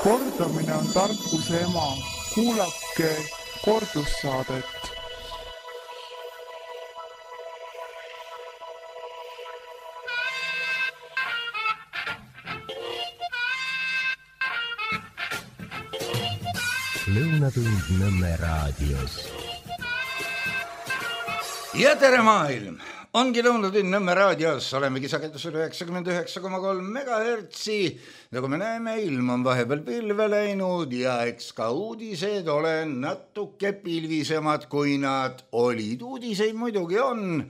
Kordamine on tarkuse ema. Kuulake kordussaadet. Lõunatund Nõmme raadios. Ja tere maailm! Ongi Lõunatund Nõmme raadios, olemegi sagedusel 99,3 megahertsi. Nagu me näeme, ilm on vahepeal pilve läinud ja eks ka uudised ole natuke pilvisemad, kui nad olid. Uudiseid muidugi on,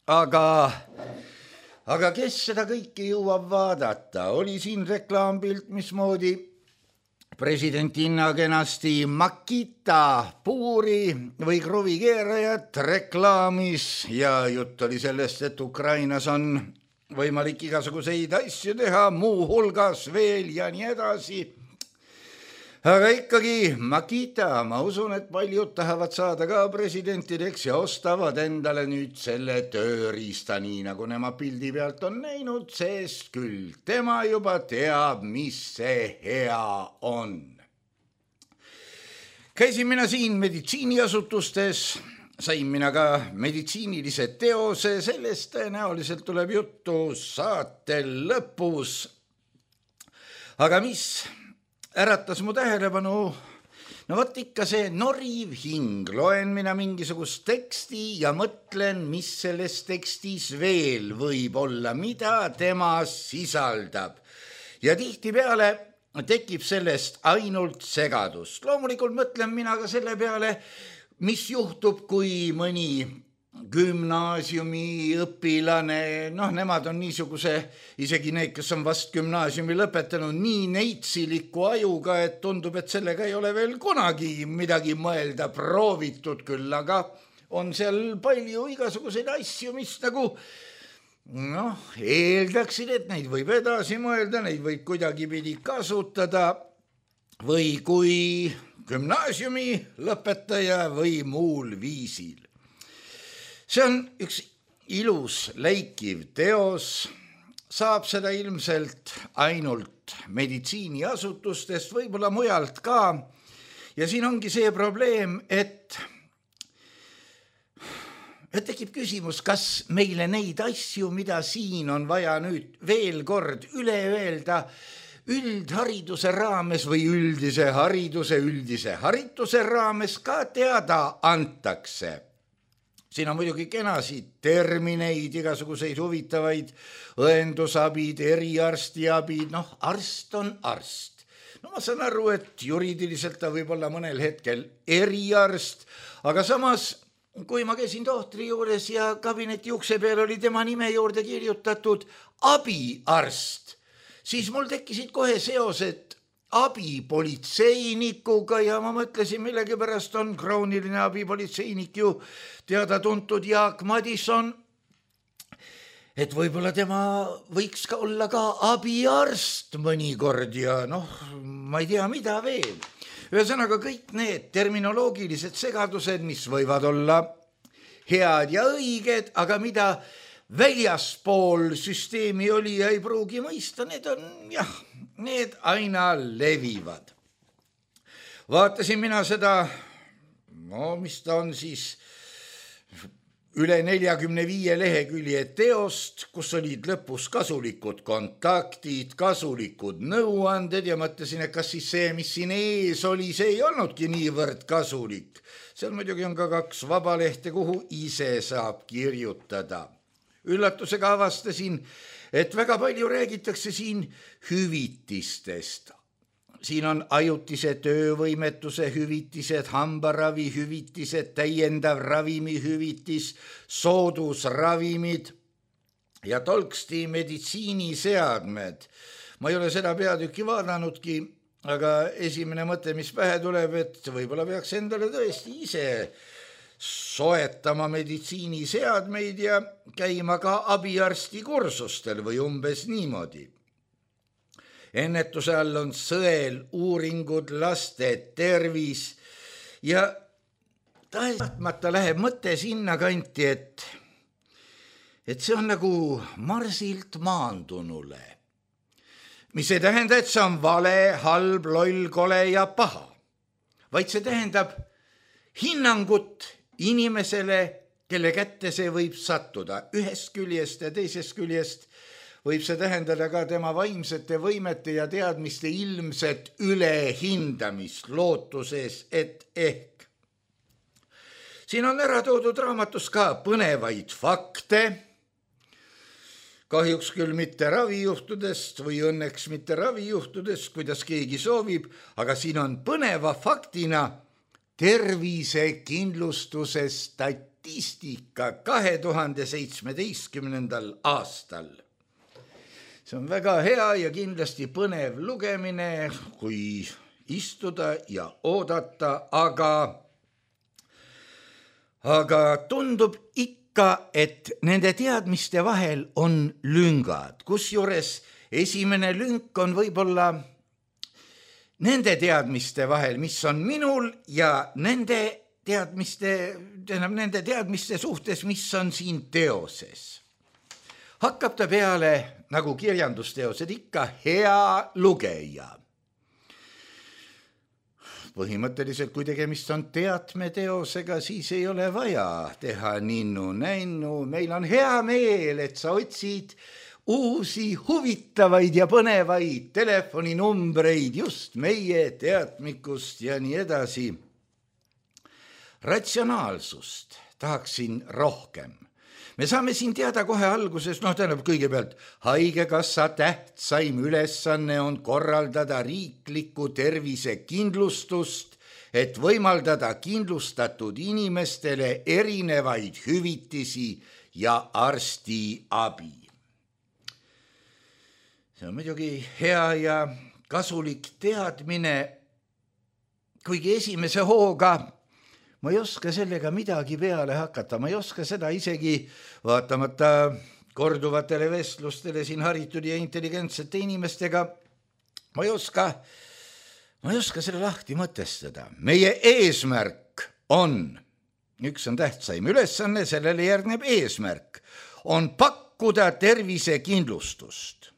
aga kes seda kõike jõuab vaadata? Oli siin reklaampilt, mismoodi presidentinna kenasti Makita puuri või kruvikeerajat reklaamis ja jutt oli sellest, et Ukrainas on võimalik igasuguseid asju teha, muu hulgas veel ja nii edasi. Aga ikkagi Makita, ma usun, et paljud tahavad saada ka presidentideks ja ostavad endale nüüd selle tööriista, nii nagu nema pildi pealt on näinud, sest küll tema juba teab, mis see hea on. Käisin mina siin meditsiiniasutustes, sain mina ka meditsiinilise teose, sellest tõenäoliselt tuleb juttu saate lõpus. Aga mis äratas mu tähelepanu? No võt ikka see noriv hing. Loen mina mingisugust teksti ja mõtlen, mis selles tekstis veel võib olla, mida tema sisaldab. Ja tihtipeale tekib sellest ainult segadust. Loomulikult mõtlen mina ka selle peale, mis juhtub, kui mõni gümnaasiumi õpilane, nemad on niisuguse, isegi need, kes on vast gümnaasiumi lõpetanud, nii neitsiliku ajuga, et tundub, et sellega ei ole veel kunagi midagi mõelda proovitud küll, aga on seal palju igasuguseid asju, mis nagu eeldaksid, et neid võib edasi mõelda, neid võib kuidagipidi kasutada või kui gümnaasiumi lõpetaja või muul viisil. See on üks ilus läikiv teos, saab seda ilmselt ainult meditsiiniasutustest, võib-olla mujalt ka. Ja siin ongi see probleem, et tekib küsimus, kas meile neid asju, mida siin on vaja nüüd veel kord üle öelda, üldhariduse raames või üldise harituse raames ka teada antakse. Siin on muidugi kenasid termineid, igasuguseid huvitavaid õendusabid, eriarstiabid, arst on arst. Ma saan aru, et juriidiliselt ta võib olla mõnel hetkel eriarst, aga samas, kui ma käisin tohtri juures ja kabineti ukse peal oli tema nime juurde kirjutatud abiarst, siis mul tekkisid kohe seosed abipolitseinikuga ja ma mõtlesin, millegipärast on krooniline abipolitseinik ju teada-tuntud Jaak Madison, et võib-olla tema võiks ka olla ka abiarst mõnikord ja ma ei tea, mida veel. Ühesõnaga kõik need terminoloogilised segadused, mis võivad olla head ja õiged, aga mida väljaspool süsteemi oli ja ei pruugi mõista, need on need aina levivad. Vaatasin mina seda, mis ta on siis, üle 45 lehekülje teost, kus olid lõpus kasulikud kontaktid, kasulikud nõuanded ja mõtlesin, et kas siis see, mis siin ees oli, see ei olnudki niivõrd kasulik. Seal muidugi on ka 2 vabalehte, kuhu ise saab kirjutada. Üllatusega avastasin, et väga palju räägitakse siin hüvitistest. Siin on ajutise töövõimetuse hüvitised, hambaravi hüvitised, täiendav ravimihüvitis, soodusravimid ja tolksti meditsiiniseadmed. Ma ei ole seda peatükki vaadanudki, aga esimene mõte, mis pähe tuleb, et võib-olla peaks endale tõesti ise soetama meditsiiniseadmeid ja käima ka abiarsti kursustel või umbes niimoodi. Ennetuse all on sõel, uuringud, laste tervis ja tahtmata läheb mõte sinna kanti, et see on nagu Marsilt maandunule. mis ei tähenda, et see on vale, halb, loll, kole ja paha, vaid see tähendab hinnangut inimesele, kelle kätte see võib sattuda. Ühest küljest ja teisest küljest võib see tähendada ka tema vaimsete võimete ja teadmiste ilmset ülehindamist lootuses, et ehk. Siin on ära toodud raamatus ka põnevaid fakte, kahjuks küll mitte ravijuhtudest või õnneks mitte ravijuhtudest, kuidas keegi soovib, aga siin on põneva faktina tervisekindlustuse statistika 2017. aastal. See on väga hea ja kindlasti põnev lugemine, kui istuda ja oodata, aga tundub ikka, et nende teadmiste vahel on lüngad, kusjuures esimene lünk on võib-olla nende teadmiste vahel, mis on minul ja nende teadmiste suhtes, mis on siin teoses. Hakkab ta peale, nagu kirjandusteosed ikka, hea lugeja. Põhimõtteliselt, kui tegemist on teatmeteosega, siis ei ole vaja teha ninnu-nännu. Meil on hea meel, et sa otsid uusi huvitavaid ja põnevaid telefoninumbreid just meie teadmikust ja nii edasi. Ratsionaalsust tahaksin rohkem. Me saame siin teada kohe alguses, tähendab kõigepealt, haigekassa tähtsaim ülesanne on korraldada riiklikku tervisekindlustust, et võimaldada kindlustatud inimestele erinevaid hüvitisi ja arstiabi. See on muidugi hea ja kasulik teadmine, kuigi esimese hooga ma ei oska sellega midagi peale hakata, ma ei oska seda isegi vaatamata korduvatele vestlustele siin haritud ja intelligentsete inimestega, ma ei oska selle lahti mõtestada. Meie eesmärk on, üks on tähtsaim ülesanne, sellele järgneb eesmärk, on pakkuda tervisekindlustust.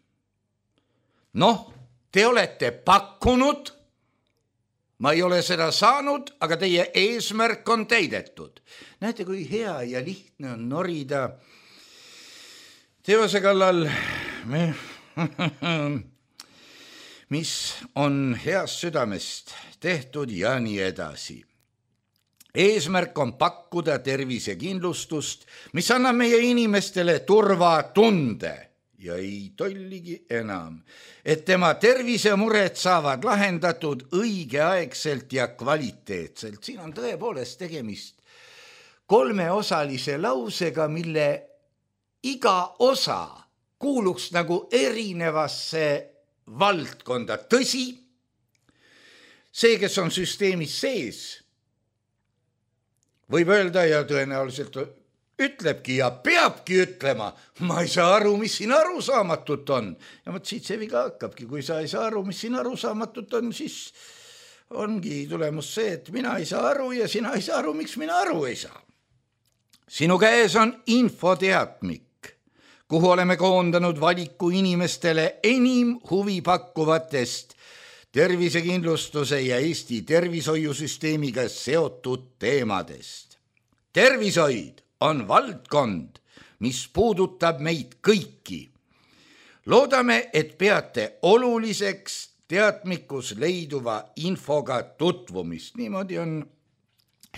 Te olete pakkunud, ma ei ole seda saanud, aga teie eesmärk on täidetud. Näete, kui hea ja lihtne on norida teose kallal, mis on heast südamest tehtud ja nii edasi. Eesmärk on pakkuda tervisekindlustust, mis annab meie inimestele turvatunde ja ei tolligi enam, et tema tervisemured saavad lahendatud õigeaegselt ja kvaliteetselt. Siin on tõepoolest tegemist kolmeosalise lausega, mille iga osa kuuluks nagu erinevasse valdkonda. Tõsi, see, kes on süsteemis sees, võib öelda ja tõenäoliselt ütlebki ja peabki ütlema, ma ei saa aru, mis siin arusaamatut on. Ja siit see viga hakkabki, kui sa ei saa aru, mis siin arusaamatut on, siis ongi tulemus see, et mina ei saa aru ja sina ei saa aru, miks mina aru ei saa. Sinu käes on infoteatmik, kuhu oleme koondanud valiku inimestele enim huvi pakkuvatest tervisekindlustuse ja Eesti tervishoiusüsteemiga seotud teemadest. Tervishoid on valdkond, mis puudutab meid kõiki. Loodame, et peate oluliseks teadmikus leiduva infoga tutvumist. Niimoodi on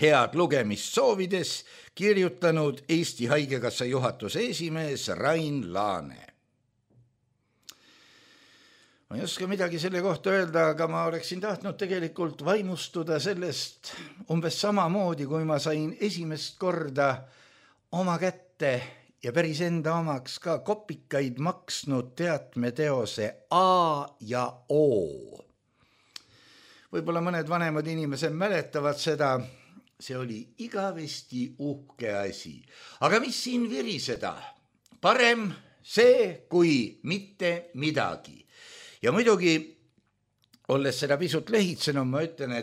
head lugemist soovides kirjutanud Eesti Haigekassa juhatuse esimees Rain Laane. Ma ei oska midagi selle kohta öelda, aga ma oleksin tahtnud tegelikult vaimustuda sellest umbes samamoodi, kui ma sain esimest korda oma kätte ja päris enda omaks ka kopikaid maksnud teatmeteose A ja O. Võib-olla mõned vanemad inimesed mäletavad seda, see oli igavesti uhke asi. Aga mis siin viriseda? Parem see kui mitte midagi. Ja muidugi, olles seda pisut lehitsenud, ma ütlen,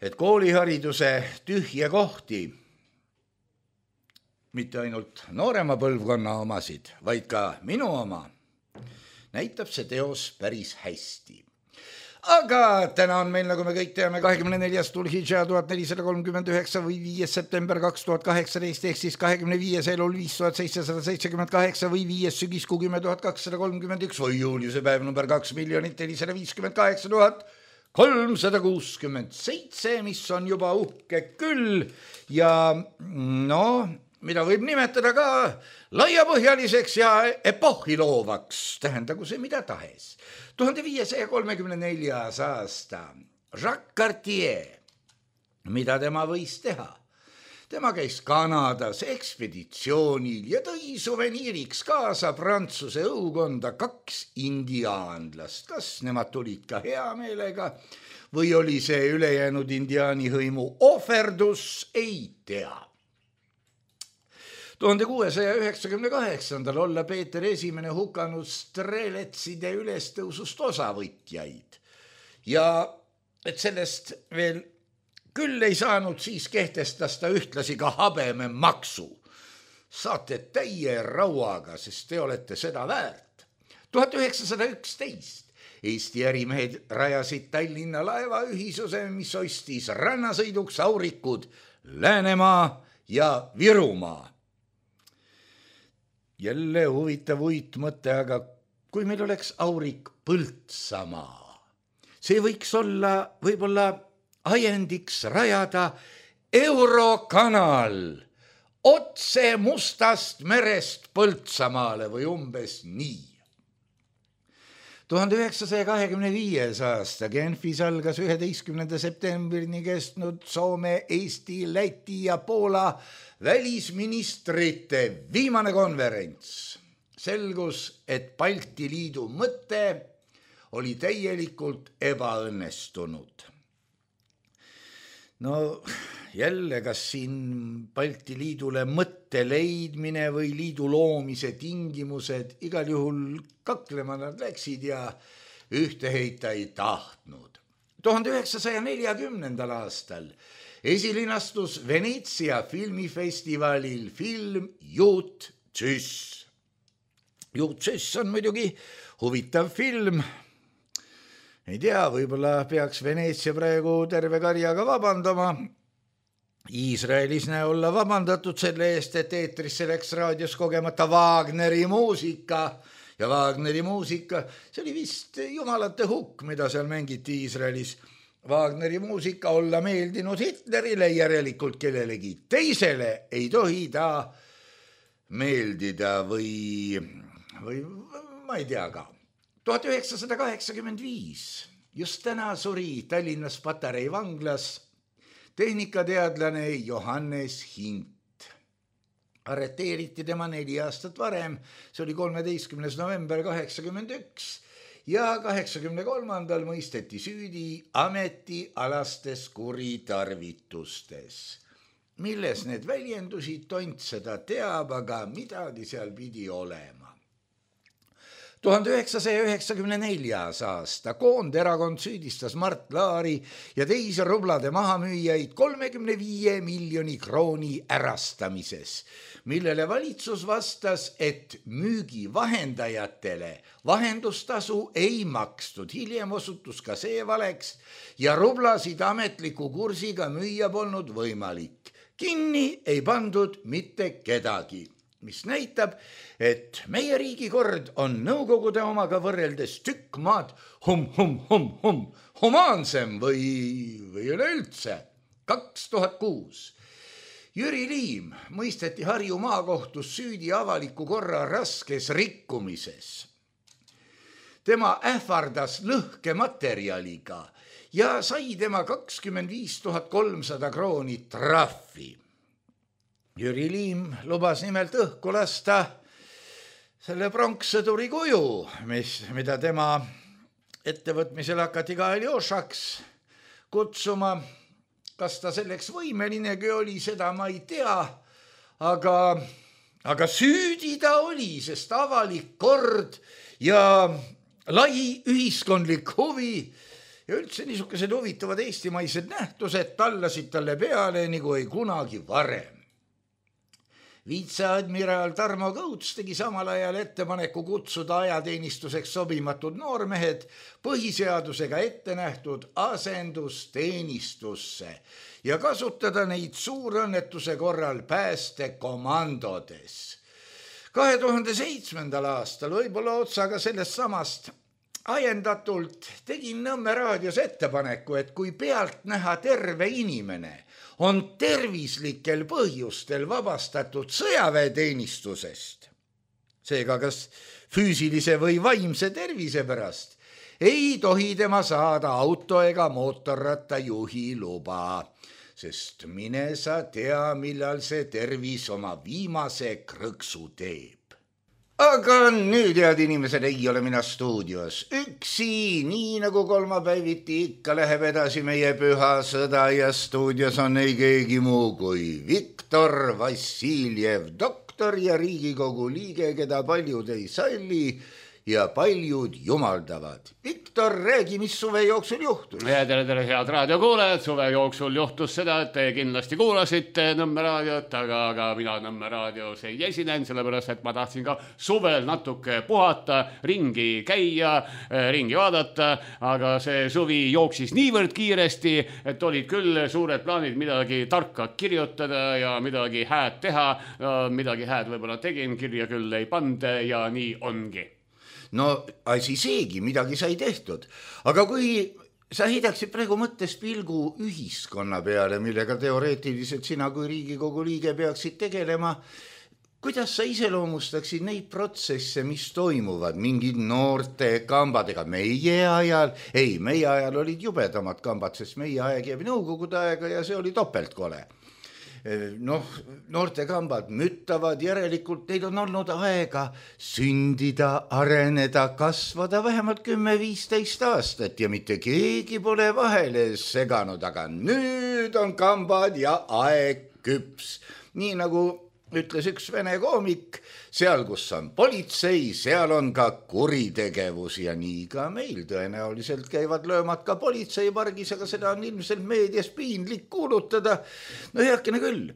et koolihariduse tühje kohti, mitte ainult noorema põlvkonna omasid, vaid ka minu oma, näitab see teos päris hästi. Aga täna on meil, nagu me kõik teame, 24. Dhul-Hidža 1439 või 5. september 2018 ehk siis 25. elul 5778 või 5. sügiskuu 10.231 või juuliuse päev number 2 458 367, mis on juba uhke küll ja mida võib nimetada ka laiapõhjaliseks ja epohhi loovaks, tähendagu see mida tahes. 1534. aasta Jacques Cartier, mida tema võis teha? Tema käis Kanadas ekspeditsioonil ja tõi suveniiriks kaasa Prantsuse õukonda 2 indiaanlast. Kas nemad tulid ka hea meelega või oli see ülejäänud indiaani hõimu ohverdus, ei tea. 1698. olla Peeter Esimene hukanud streletside ülestõusust osavõtjaid ja et sellest veel küll ei saanud, siis kehtestas ta ühtlasi ka habememaksu. Saate täie rauaga, sest te olete seda väärt. 1911. Eesti ärimehed rajasid Tallinna laevaühisuse, mis ostis rannasõiduks aurikud Läänemaa ja Virumaa. Jälle huvitav uitmõte, aga kui meil oleks aurik Põltsamaa, see võiks olla võib-olla ajendiks rajada Eurokanal otse Mustast merest Põltsamaale või umbes nii. 1925. aasta Genfis algas 11. septembrini kestnud Soome, Eesti, Läti ja Poola välisministrite viimane konverents. Selgus, et Balti Liidu mõte oli täielikult ebaõnnestunud. Jälle, kas siin Balti Liidule mõtte leidmine või liidu loomise tingimused, igal juhul kaklema nad läksid ja ühte heita ei tahtnud. 1940. aastal esilinastus Veneetsia filmifestivalil film Juut Süss. Juut Süss on muidugi huvitav film. Ei tea, võib-olla peaks Veneetsia praegu terve karjaga vabandama. Iisraelis näe olla vabandatud selle eest, et eetrisse läks raadios kogemata Wagneri muusika. Ja Wagneri muusika, see oli vist jumalate hukk, mida seal mängiti Iisraelis. Wagneri muusika olla meeldinud Hitlerile, järelikult kellelegi teisele ei tohi ta meeldida või ma ei tea ka. 1985, just täna suri Tallinnas Patarei vanglas tehnikateadlane Johannes Hint. Arreteeriti tema 4 aastat varem, see oli 13. november 1981 ja 1983. mõisteti süüdi ametialastes kuritarvitustes. Milles need väljendusid, tont seda teab, aga midagi seal pidi olema. 1994. aasta Koonderakond süüdistas Mart Laari ja teisi rublade mahamüüjaid 35 miljoni krooni ärastamises, millele valitsus vastas, et müügivahendajatele vahendustasu ei makstud. Hiljem osutus ka see valeks ja rublasid ametliku kursiga müüa polnud võimalik. Kinni ei pandud mitte kedagi, mis näitab, et meie riigikord on nõukogude omaga võrreldes tükk maad humaansem või üleüldse. 2006. Jüri Liim mõisteti Harju maakohtus süüdi avaliku korra raskes rikkumises. Tema ähvardas lõhkematerjaliga ja sai tema 25 300 krooni trahvi. Jüri Liim lubas nimelt õhku lasta selle pronkssõduri kuju, mida tema ettevõtmisel hakati ka Aljošaks kutsuma. Kas ta selleks võimelinegi oli, seda ma ei tea, aga süüdi ta oli, sest avalik kord ja lai ühiskondlik huvi ja üldse niisugused huvitavad eestimaised nähtused tallasid talle peale nagu ei kunagi varem. Viitseadmiraal Tarmo Kõuts tegi samal ajal ettepaneku kutsuda ajateenistuseks sobimatud noormehed põhiseadusega ette nähtud asendusteenistusse ja kasutada neid suurõnnetuse korral päästekomandodes. 2007. aastal võib-olla otsaga sellest samast ajendatult tegin Nõmme raadios ettepaneku, et kui pealt näha terve inimene on tervislikel põhjustel vabastatud sõjaväeteenistusest, seega kas füüsilise või vaimse tervise pärast, ei tohi tema saada auto ega mootorratta juhi luba, sest mine sa tea, millal see tervis oma viimase krõksu teeb. Aga nüüd, head inimesed, ei ole mina stuudios üksi, nii nagu kolmapäeviti ikka läheb edasi meie püha sõda ja stuudios on ei keegi muu kui Viktor Vassiljev, doktor ja Riigikogu liige, keda paljud ei salli ja paljud jumaldavad. Viktor, räägi, mis suve jooksul juhtus? Tere, head raadiokuulajad. Suve jooksul juhtus seda, et te kindlasti kuulasite Nõmme raadiot, aga mina Nõmme raadios ei esinen, sellepärast, et ma tahtsin ka suvel natuke puhata, ringi käia, ringi vaadata, aga see suvi jooksis niivõrd kiiresti, et olid küll suured plaanid midagi tarka kirjutada ja midagi hääd teha. Midagi hääd võib-olla tegin, kirja küll ei pande ja nii ongi. No asi seegi, midagi sai tehtud, aga kui sa heidaksid praegu mõttes pilgu ühiskonna peale, millega teoreetiliselt sina kui Riigikogu liige peaksid tegelema, kuidas sa iseloomustaksid neid protsesse, mis toimuvad, mingid noorte kambadega meie ajal olid jubedamad kambad, sest meie aeg jääb nõukogude aega ja see oli topeltkole. Noorte kambad müttavad, järelikult teil on olnud aega sündida, areneda, kasvada vähemalt 10-15 aastat ja mitte keegi pole vahele seganud, aga nüüd on kambad ja aeg küps. Nii nagu ütles üks vene koomik, seal kus on politsei, seal on ka kuritegevus ja nii ka meil tõenäoliselt käivad löömad ka politseipargis, aga seda on ilmselt meedias piinlik kuulutada. No heakene küll,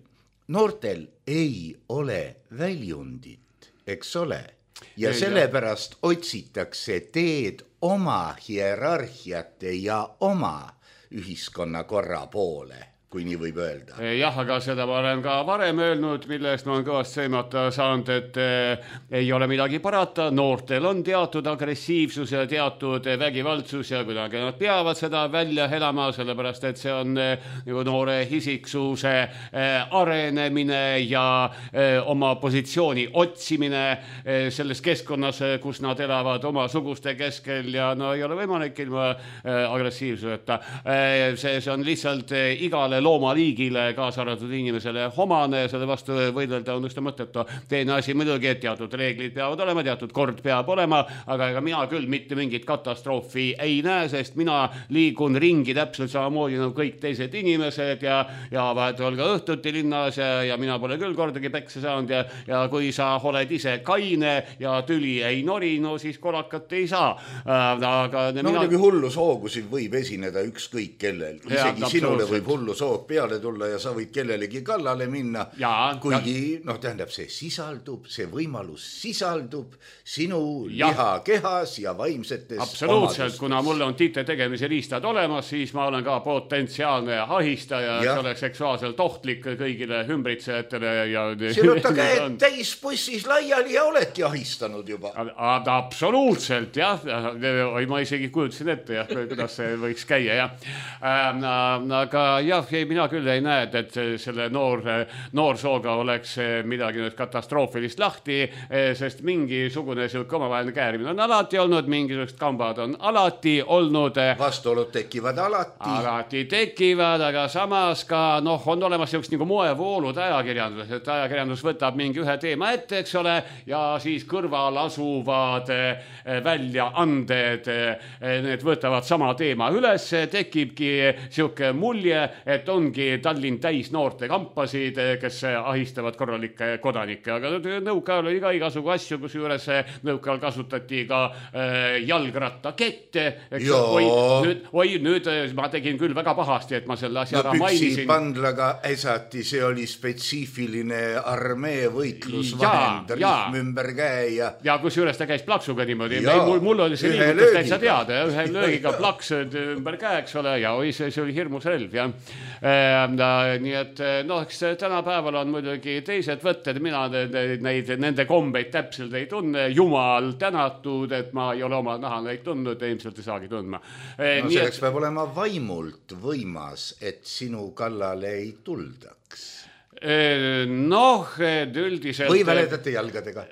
noortel ei ole väljundit, eks ole, ja sellepärast otsitakse teed oma hierarhiate ja oma ühiskonnakorra poole, kui nii võib öelda. Jah, aga seda ma olen ka varem öelnud, millest ma olen kõvast seimata saanud, et ei ole midagi parata. Noortel on teatud agressiivsus ja teatud vägivaldsus ja kuidagi nad peavad seda välja elama, sellepärast et see on nagu noore isiksuse arenemine ja oma positsiooni otsimine selles keskkonnas, kus nad elavad oma suguste keskel ja no ei ole võimalik ilma agressiivsuseta. See on lihtsalt igale loomaliigile, kaasa arvatud inimesele omane, selle vastu võidelda on ühte mõttetu. Teine asi muidugi, et teatud reeglid peavad olema, teatud kord peab olema, aga ega mina küll mitte mingit katastroofi ei näe, sest mina liigun ringi täpselt samamoodi nagu kõik teised inimesed ja vahetuval ka õhtuti linnas ja mina pole küll kordagi pekse saanud ja kui sa oled ise kaine ja tüli ei nori, no siis kolakat ei saa. Muidugi hullushoogusid võib esineda ükskõik kellel, isegi sinule võib hullushoog peale tulla ja sa võid kellelegi kallale minna, kuigi tähendab, see sisaldub, see võimalus sisaldub sinu lihakehas ja vaimsetes absoluutselt, kuna mulle on tite tegemise riistad olemas, siis ma olen ka potentsiaalne ahistaja, see oleks seksuaalselt ohtlik kõigile ümbritsejatele ja sinuta käed täis bussis laiali ja oledki ahistanud juba. Absoluutselt, jah. Ma isegi kujutasin ette, kuidas see võiks käia, aga jah, mina küll ei näe, et selle noorsooga oleks midagi nüüd katastroofilist lahti, sest mingisugune selline omavaheline käärimine on alati olnud, mingisugused kambad on alati olnud. Vastuolud tekivad alati. Alati tekivad, aga samas ka on olemas sellised nagu moevoolud ajakirjandus, et ajakirjandus võtab mingi ühe teema ette, eks ole, ja siis kõrval asuvad väljaanded, need võtavad sama teema üles, tekibki siuke mulje, et ongi Tallinn täis noorte kampasid, kes ahistavad korralikke kodanikke, aga nõukaajal oli ka igasugu asju, kus juures nõukaajal kasutati ka jalgrattakette. Nüüd ma tegin küll väga pahasti, et ma selle asja ära mainisin. Pandlaga äsati, see oli spetsiifiline armee võitlusvahend, rihm ümber käe ja kus juures ta käis plaksuga niimoodi. Mul oli see liigutus täitsa teada, ühe löögiga plaks ümber käe, eks ole, ja see oli hirmus relv, jah. Nii et eks tänapäeval on muidugi teised võtted, mina nende kombeid täpselt ei tunne, jumal tänatud, et ma ei ole oma naha neid tundnud, ilmselt ei saagi tundma. Selleks peab olema vaimult võimas, et sinu kallale ei tuldaks. Üldiselt või väledate jalgadega?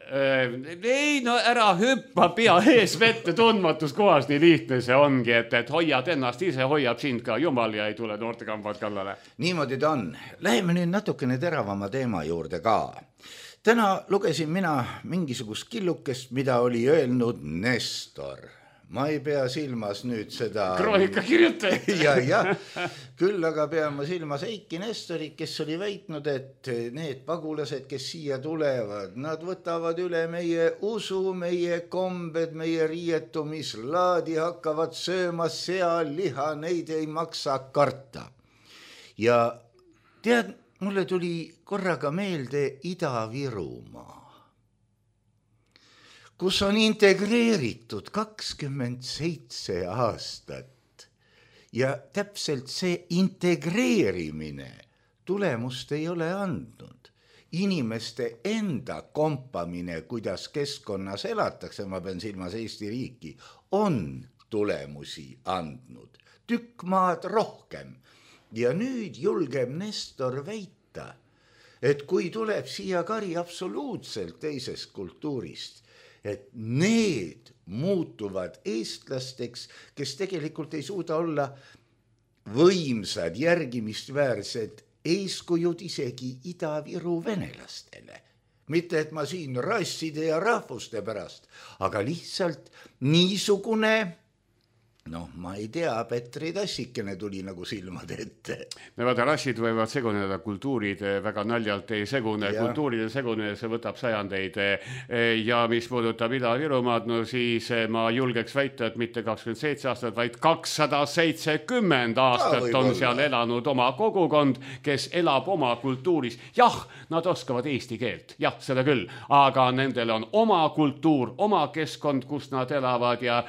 Ei, ära hüppa pea ees vette tundmatus kohas, nii lihtne see ongi, et hoiad ennast ise, hoiab sind ka jumal ja ei tule noortekambad kallale. Niimoodi ta on. Läheme nüüd natukene teravama teema juurde ka. Täna lugesin mina mingisugust killukest, mida oli öelnud Nestor. Ma ei pea silmas nüüd seda... Kroonika kirjutaja. ja. Küll aga pean ma silmas Eiki Nestorit, kes oli väitnud, et need pagulased, kes siia tulevad, nad võtavad üle meie usu, meie kombed, meie riietumislaadi, hakkavad sööma sealiha, neid ei maksa karta. Ja tead, mulle tuli korraga meelde Ida-Virumaa, kus on integreeritud 27 aastat ja täpselt see integreerimine tulemust ei ole andnud. Inimeste enda kompamine, kuidas keskkonnas elatakse, ma pean silmas Eesti riiki, on tulemusi andnud. Tükk maad rohkem. Ja nüüd julgeb Nestor väita, et kui tuleb siia kari absoluutselt teisest kultuurist, et need muutuvad eestlasteks, kes tegelikult ei suuda olla võimsad, järgimistväärsed eeskujud isegi Ida-Viru venelastele. Mitte, et ma siin rasside ja rahvuste pärast, aga lihtsalt niisugune... ma ei tea, Petri tassikene tuli nagu silmad ette. Vaata, rassid võivad seguneda, kultuurid väga naljalt ei segune. Kultuuride segune, see võtab sajandeid. Ja mis puudutab Ida-Virumaad, siis ma julgeks väita, et mitte 27 aastat, vaid 270 aastat on seal elanud oma kogukond, kes elab oma kultuuris. Jah, nad oskavad eesti keelt, jah, seda küll, aga nendel on oma kultuur, oma keskkond, kus nad elavad ja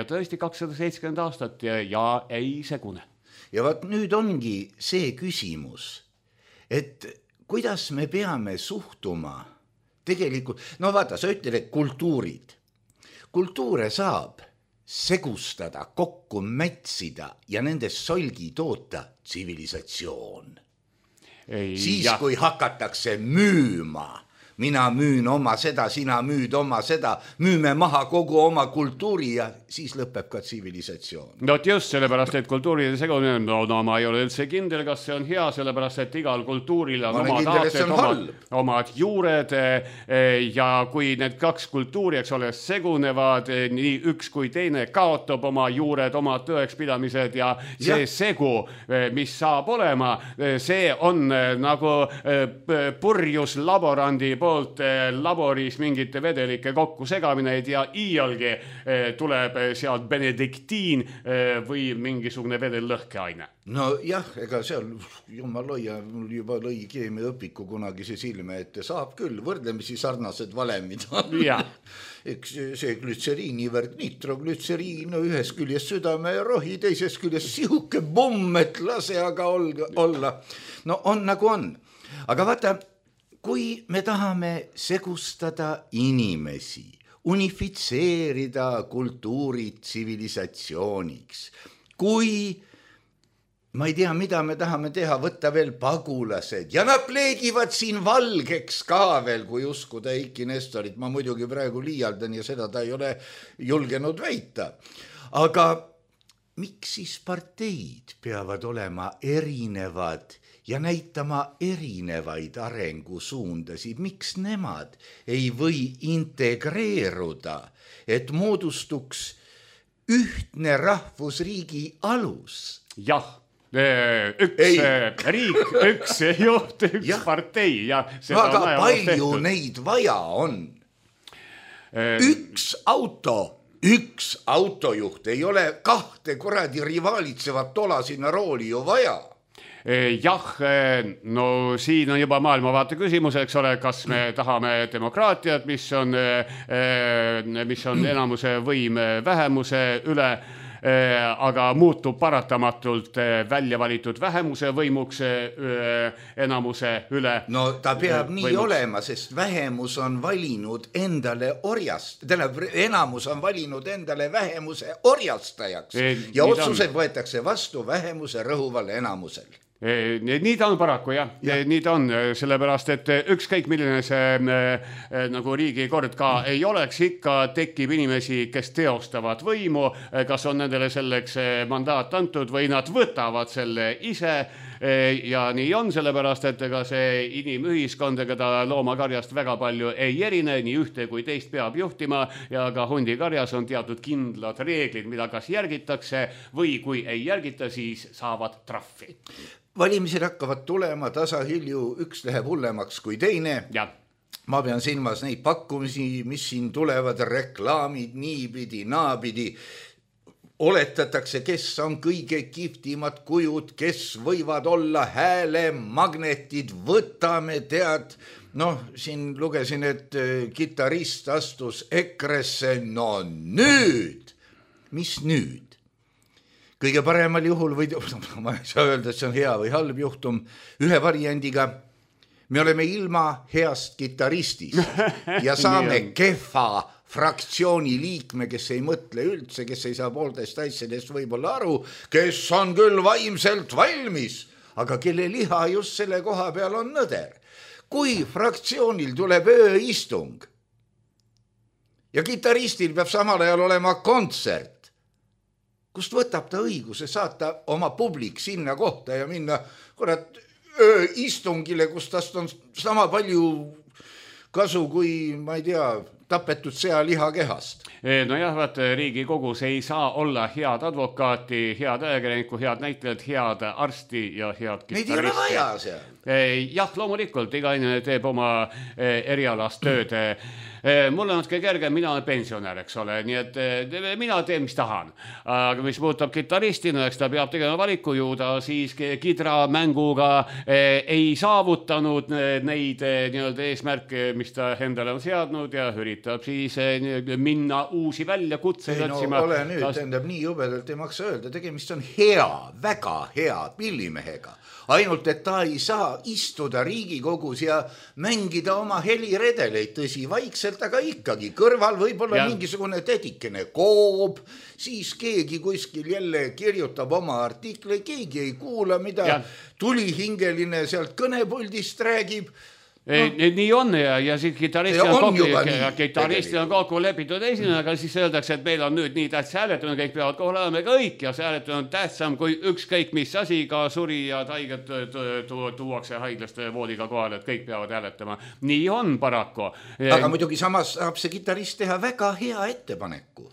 tõesti 270 aastat ja ei segune. Ja vaat nüüd ongi see küsimus, et kuidas me peame suhtuma tegelikult, vaata, sa ütled, et kultuurid. Kultuure saab segustada, kokku mätsida ja nendest solgi toota tsivilisatsioon. Siis, kui hakatakse müüma, mina müün oma seda, sina müüd oma seda, müüme maha kogu oma kultuuri ja siis lõpeb ka tsivilisatsioon. Just sellepärast, et kultuuride segunemine, ma ei ole üldse kindel, kas see on hea, sellepärast, et igal kultuuril on omad aated, omad juured ja kui need kaks kultuuri, eks ole, segunevad, nii üks kui teine kaotab oma juured, oma tõekspidamised ja see segu, mis saab olema, see on nagu purjus laborandi poolt laboris mingite vedelike kokku segamineid ja iialgi tuleb sealt benediktiin või mingisugune vedellõhkeaine. Jah, ega seal jumal loia, mul juba lõi keemiaõpiku kunagi see silme, et saab küll võrdlemisi sarnased valemid. Eks see glütseriinivärk, nitroglütseriin, ühes küljes südame ja rohi, teises küljes sihuke pomm, et lase aga olla. On nagu on. Aga vaata, kui me tahame segustada inimesi, unifitseerida kultuurid tsivilisatsiooniks, kui ma ei tea, mida me tahame teha, võtta veel pagulased ja nad pleegivad siin valgeks ka veel, kui uskuda Eiki Nestorit. Ma muidugi praegu liialdan ja seda ta ei ole julgenud väita. Aga miks siis parteid peavad olema erinevad ja näitama erinevaid arengusuundasid? Miks nemad ei või integreeruda, et moodustuks ühtne rahvusriigi alus? Jah, Üks riik, üks juht, üks partei ja väga palju neid vaja on. Üks autojuht ei ole kahte kuradi rivaalitsevat tola sinna rooli ju vaja. Jah, no siin on juba maailmavaate küsimus, eks ole, kas me tahame demokraatiat, mis on enamuse võim vähemuse üle, aga muutub paratamatult välja valitud vähemuse võimuks enamuse üle. No ta peab nii olema, sest vähemus on valinud endale enamus on valinud endale vähemuse orjastajaks ja otsused võetakse vastu vähemuse rõhuval enamusel. Nii ta on paraku, jah. Nii ta on, sellepärast, et ükskõik milline see nagu riigikord ka ei oleks, ikka tekib inimesi, kes teostavad võimu, kas on nendele selleks mandaat antud või nad võtavad selle ise ja nii on, sellepärast, et ega see inimühiskond, ega ta loomakarjast väga palju ei erine, nii ühte kui teist peab juhtima ja ka hundikarjas on teatud kindlad reeglid, mida kas järgitakse või kui ei järgita, siis saavad trahvi. Valimised hakkavad tulema tasahilju, üks läheb hullemaks kui teine. Ja. Ma pean silmas neid pakkumisi, mis siin tulevad, reklaamid niipidi, naapidi. Oletatakse, kes on kõige kihvtimad kujud, kes võivad olla häälemagnetid, võtame tead. Noh, siin lugesin, et kitarrist astus EKRE-sse, no nüüd, mis nüüd? Kõige paremal juhul või ma ei saa öelda, et see on hea või halb juhtum, ühe variandiga me oleme ilma heast kitarristist ja saame kehva fraktsiooni liikme, kes ei mõtle üldse, kes ei saa poolteist asjadest võib-olla aru, kes on küll vaimselt valmis, aga kelle liha just selle koha peal on nõder. Kui fraktsioonil tuleb ööistung ja kitaristil peab samal ajal olema kontsert, kust võtab ta õiguse saata oma publik sinna kohta ja minna istungile, kus tast on sama palju kasu kui, ma ei tea, tapetud sealiha kehast. Nojah, vaat Riigikogus ei saa olla head advokaati, head ajakirjanikku, head näitlejad, head arsti ja head kitaristi. Neid ei ole vaja seal. Jah, loomulikult, iga inimene teeb oma erialast tööd. Mul on natuke kerge, mina olen pensionär, eks ole, nii et mina teen, mis tahan. Aga mis puudutab kitaristina, eks ta peab tegema valiku ju, ta siis kidramänguga ei saavutanud neid nii-öelda eesmärke, mis ta endale on seadnud ja üritab siis minna uusi väljakutseid otsima. Ole nüüd, tähendab nii jubedalt ei maksa öelda, tegemist on hea, väga hea pillimehega. Ainult, et ta ei saa istuda Riigikogus ja mängida oma heliredeleid, tõsi, vaikselt, aga ikkagi kõrval võib-olla mingisugune tädikene koob, siis keegi kuskil jälle kirjutab oma artikli, keegi ei kuula, mida tulihingeline sealt kõnepuldist räägib. Nii on ja siis kitarristil on kokku lepitud esineja, aga siis öeldakse, et meil on nüüd nii tähtsa hääletamine, kõik peavad kohal olema kõik ja see hääletamine on tähtsam kui ükskõik mis asi, ka suri ja haiged tuuakse haiglast voodiga kohal, et kõik peavad hääletama. Nii on paraku. Aga muidugi samas saab see kitarrist teha väga hea ettepaneku.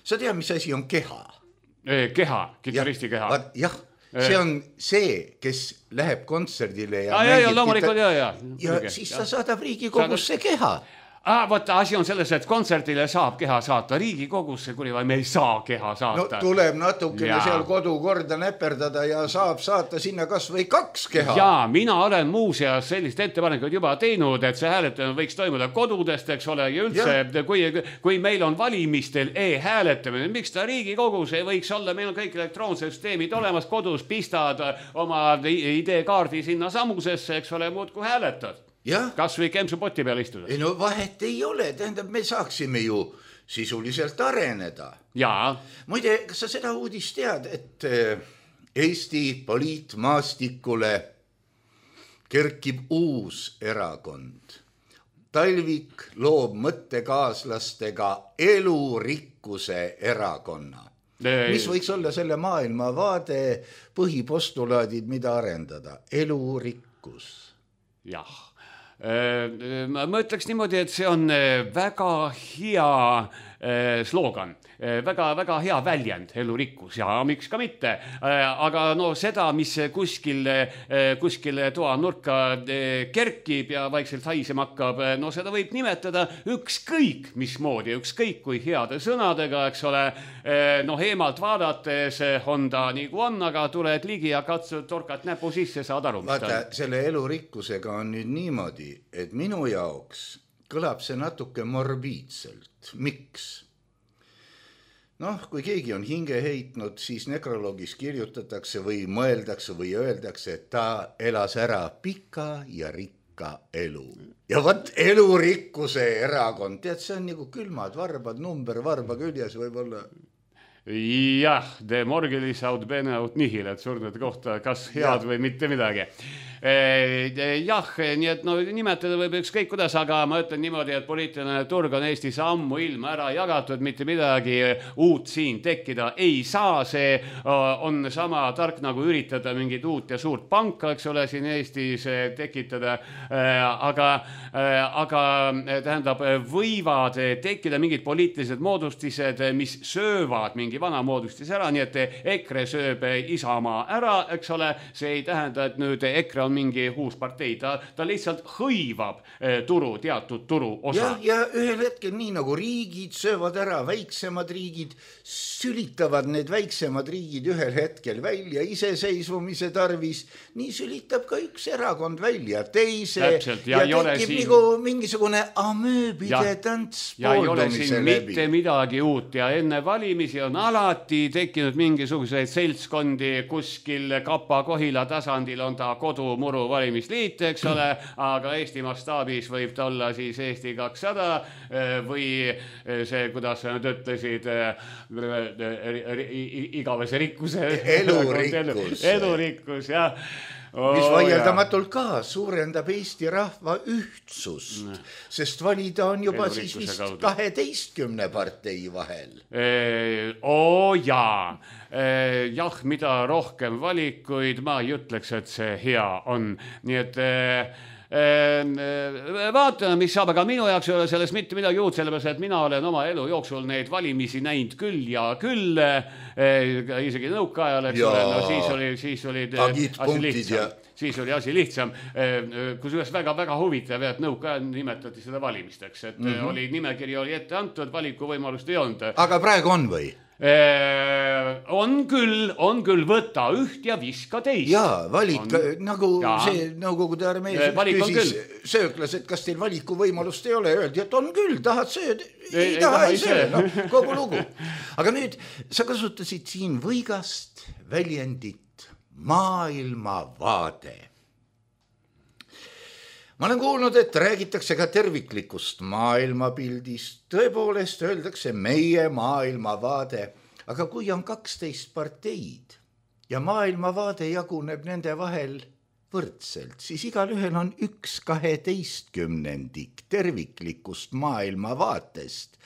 Sa tead, mis asi on keha? Keha, kitaristi keha. Jah. See on see, kes läheb kontserdile ja loomulikult ja siis ta saadab Riigikogusse keha. Võtta, asi on selles, et kontserdile saab keha saata Riigikogusse, kuni me ei saa keha saata. No tuleb natukene seal kodukorda näperdada ja saab saata sinna kas või 2 keha. Jaa, mina olen muuseas sellist ettepanekut juba teinud, et see hääletamine võiks toimuda kodudest, eks ole, ja üldse, kui meil on valimistel e-hääletamine, miks ta Riigikogus ei võiks olla, meil on kõik elektroonsed süsteemid olemas, kodus pistad oma ID-kaardi sinna samusesse, eks ole, muud kui hääletad. Kas või kempsu poti peal istuda? No vahet ei ole, tähendab, me saaksime ju sisuliselt areneda. Jaa. Muide, kas sa seda uudist tead, et Eesti poliitmaastikule kerkib uus erakond? Talvik loob mõttekaaslastega elurikkuse erakonna. Mis võiks olla selle maailmavaade põhipostulaadid, mida arendada? Elurikkus. Jah. Ma ütleks niimoodi, et see on väga hea sloogan. Väga hea väljend, elurikkus ja miks ka mitte. Aga no seda, mis kuskil toanurka kerkib ja vaikselt haisema hakkab, no seda võib nimetada ükskõik mismoodi, ükskõik kui heade sõnadega, eks ole. No eemalt vaadates on ta nagu on, aga tuled ligi ja katsud torkad näpu sisse, saad aru. Vaata, selle elurikkusega on nüüd niimoodi, et minu jaoks kõlab see natuke morbiidselt. Miks? Noh, kui keegi on hinge heitnud, siis nekroloogis kirjutatakse või mõeldakse või öeldakse, et ta elas ära pika ja rikka elu. Ja võt elurikkuse erakond, tead, see on nagu külmad varbad, number varba küljes võib-olla. Jah, de morgelis aut bene aut nihil, et surnud kohta kas head või mitte midagi. Jah, nii et no nimetada võib ükskõik kuidas, aga ma ütlen niimoodi, et poliitiline turg on Eestis ammu ilma ära jagatud, mitte midagi uut siin tekkida ei saa, see on sama tark nagu üritada mingit uut ja suurt panka, eks ole, siin Eestis tekitada, aga tähendab, võivad tekkida mingid poliitilised moodustised, mis söövad mingi vana moodustis ära, nii et EKRE sööb Isamaa ära, eks ole, see ei tähenda, et nüüd EKRE on mingi uus partei, ta lihtsalt hõivab teatud turu osa. Ja ühel hetkel nii nagu riigid söövad ära, väiksemad riigid sülitavad need väiksemad riigid ühel hetkel välja iseseisvumise tarvis, nii sülitab ka üks erakond välja teise. Täpselt, ja tekib nagu mingisugune amööbide tants pooldumise läbi. Ja ei ole siin mitte midagi uut ja enne valimisi on alati tekkinud mingisuguseid seltskondi, kuskil Kapa-Kohila tasandil on ta kodumuru valimisliit, eks ole, aga Eesti mastaabis võib ta olla siis Eesti 200 või see, kuidas sa nüüd ütlesid, igavese rikkuse elurikkus, jah. Mis vaieldamatult ka suurendab Eesti rahva ühtsust, sest valida on juba siis vist 12 partei vahel. Jaa, mida rohkem valikuid, ma ei ütleks, et see hea on. Nii et vaatame, mis saab, aga minu jaoks ei ole sellest mitte midagi uut, sellepärast, et mina olen oma elu jooksul neid valimisi näinud küll ja küll, isegi nõukaajal, eks ole, no siis oli asi lihtsam, kusjuures väga huvitav, et nõukaajal nimetati seda valimisteks, et nimekiri oli ette antud, valikuvõimalust ei olnud. Aga praegu on või? On küll, võta üht ja viska teist. Jaa, valik, nagu see Nõukogude armee küsis sööklas, et kas teil valikuvõimalust ei ole, öeldi, et on küll, tahad sööd, ei taha ei söö, no, kogu lugu. Aga nüüd sa kasutasid siin võigast väljendit maailmavaade. Ma olen kuulnud, et räägitakse ka terviklikust maailmapildist. Tõepoolest öeldakse meie maailmavaade, aga kui on 12 parteid ja maailmavaade jaguneb nende vahel võrdselt, siis igal ühel on 1/12 terviklikust maailmavaatest.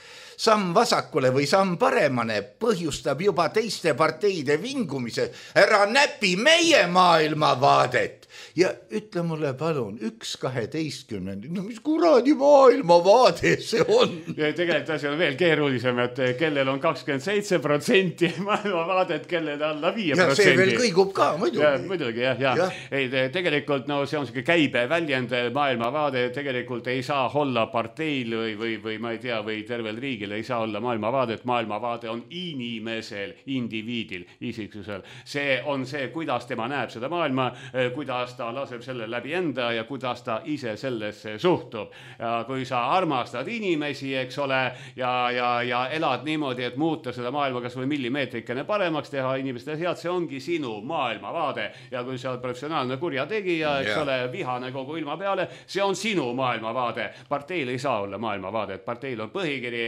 Samm vasakule või samm paremane põhjustab juba teiste parteide vingumise. Ära näpi meie maailmavaadet ja ütle mulle palun 1/12, no mis kuradi maailmavaade see on? Ja tegelikult asi on veel keerulisem, et kellel on 27% maailmavaadet, kellel alla 5%. Ja see veel kõigub ka, muidugi. Muidugi, jah. Ei, tegelikult no see on selline käibe väljend, maailmavaade tegelikult ei saa olla parteil või ma ei tea, või tervel riigil ei saa olla maailmavaadet. Maailmavaade on inimesel, indiviidil, isiksusel. See on see, kuidas tema näeb seda maailma, kuidas ta laseb selle läbi enda ja kuidas ta ise sellesse suhtub. Ja kui sa armastad inimesi, eks ole, ja elad niimoodi, et muuta seda maailma kas või millimeetrikene paremaks teha inimeste head, see ongi sinu maailmavaade. Ja kui sa oled professionaalne kurjategija, eks ole, vihane kogu ilma peale, see on sinu maailmavaade. Parteil ei saa olla maailmavaade, et parteil on põhikiri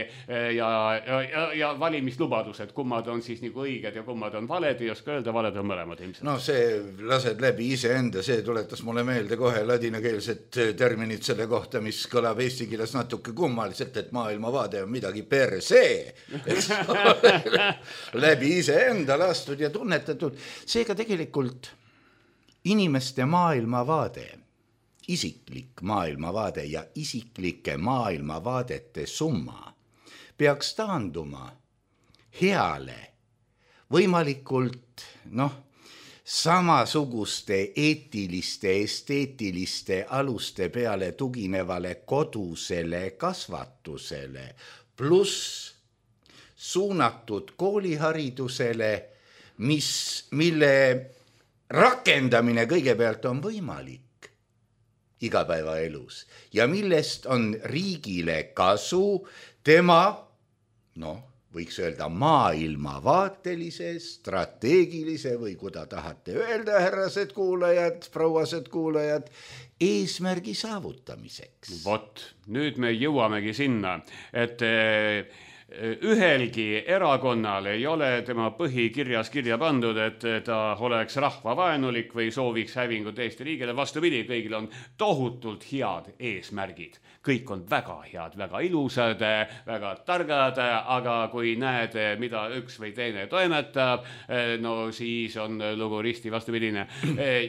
ja valimislubadused, kummad on siis nagu õiged ja kummad on valed, ei oska öelda, valed on mõlemad ilmselt. No see lased läbi iseenda, see tuletas mulle meelde kohe ladinakeelset terminit selle kohta, mis kõlab eesti keeles natuke kummaliselt, et maailmavaade on midagi per se. Läbi iseenda lastud ja tunnetatud. Seega tegelikult inimeste maailmavaade, isiklik maailmavaade ja isiklike maailmavaadete summa peaks taanduma heale, võimalikult samasuguste eetiliste, esteetiliste aluste peale tuginevale kodusele kasvatusele, pluss suunatud kooliharidusele, mille rakendamine kõigepealt on võimalik igapäevaelus ja millest on riigile kasu tema, võiks öelda maailmavaatelise, strateegilise või kuda tahate öelda, härrased kuulajad, prouased kuulajad, eesmärgi saavutamiseks. Vot, nüüd me jõuamegi sinna, et ühelgi erakonnal ei ole tema põhikirjas kirja pandud, et ta oleks rahvavaenulik või sooviks hävingut Eesti riigile. Vastupidi, kõigil on tohutult head eesmärgid. Kõik on väga head, väga ilusad, väga targad, aga kui näed, mida üks või teine toimetab, siis on lugu risti vastupidine.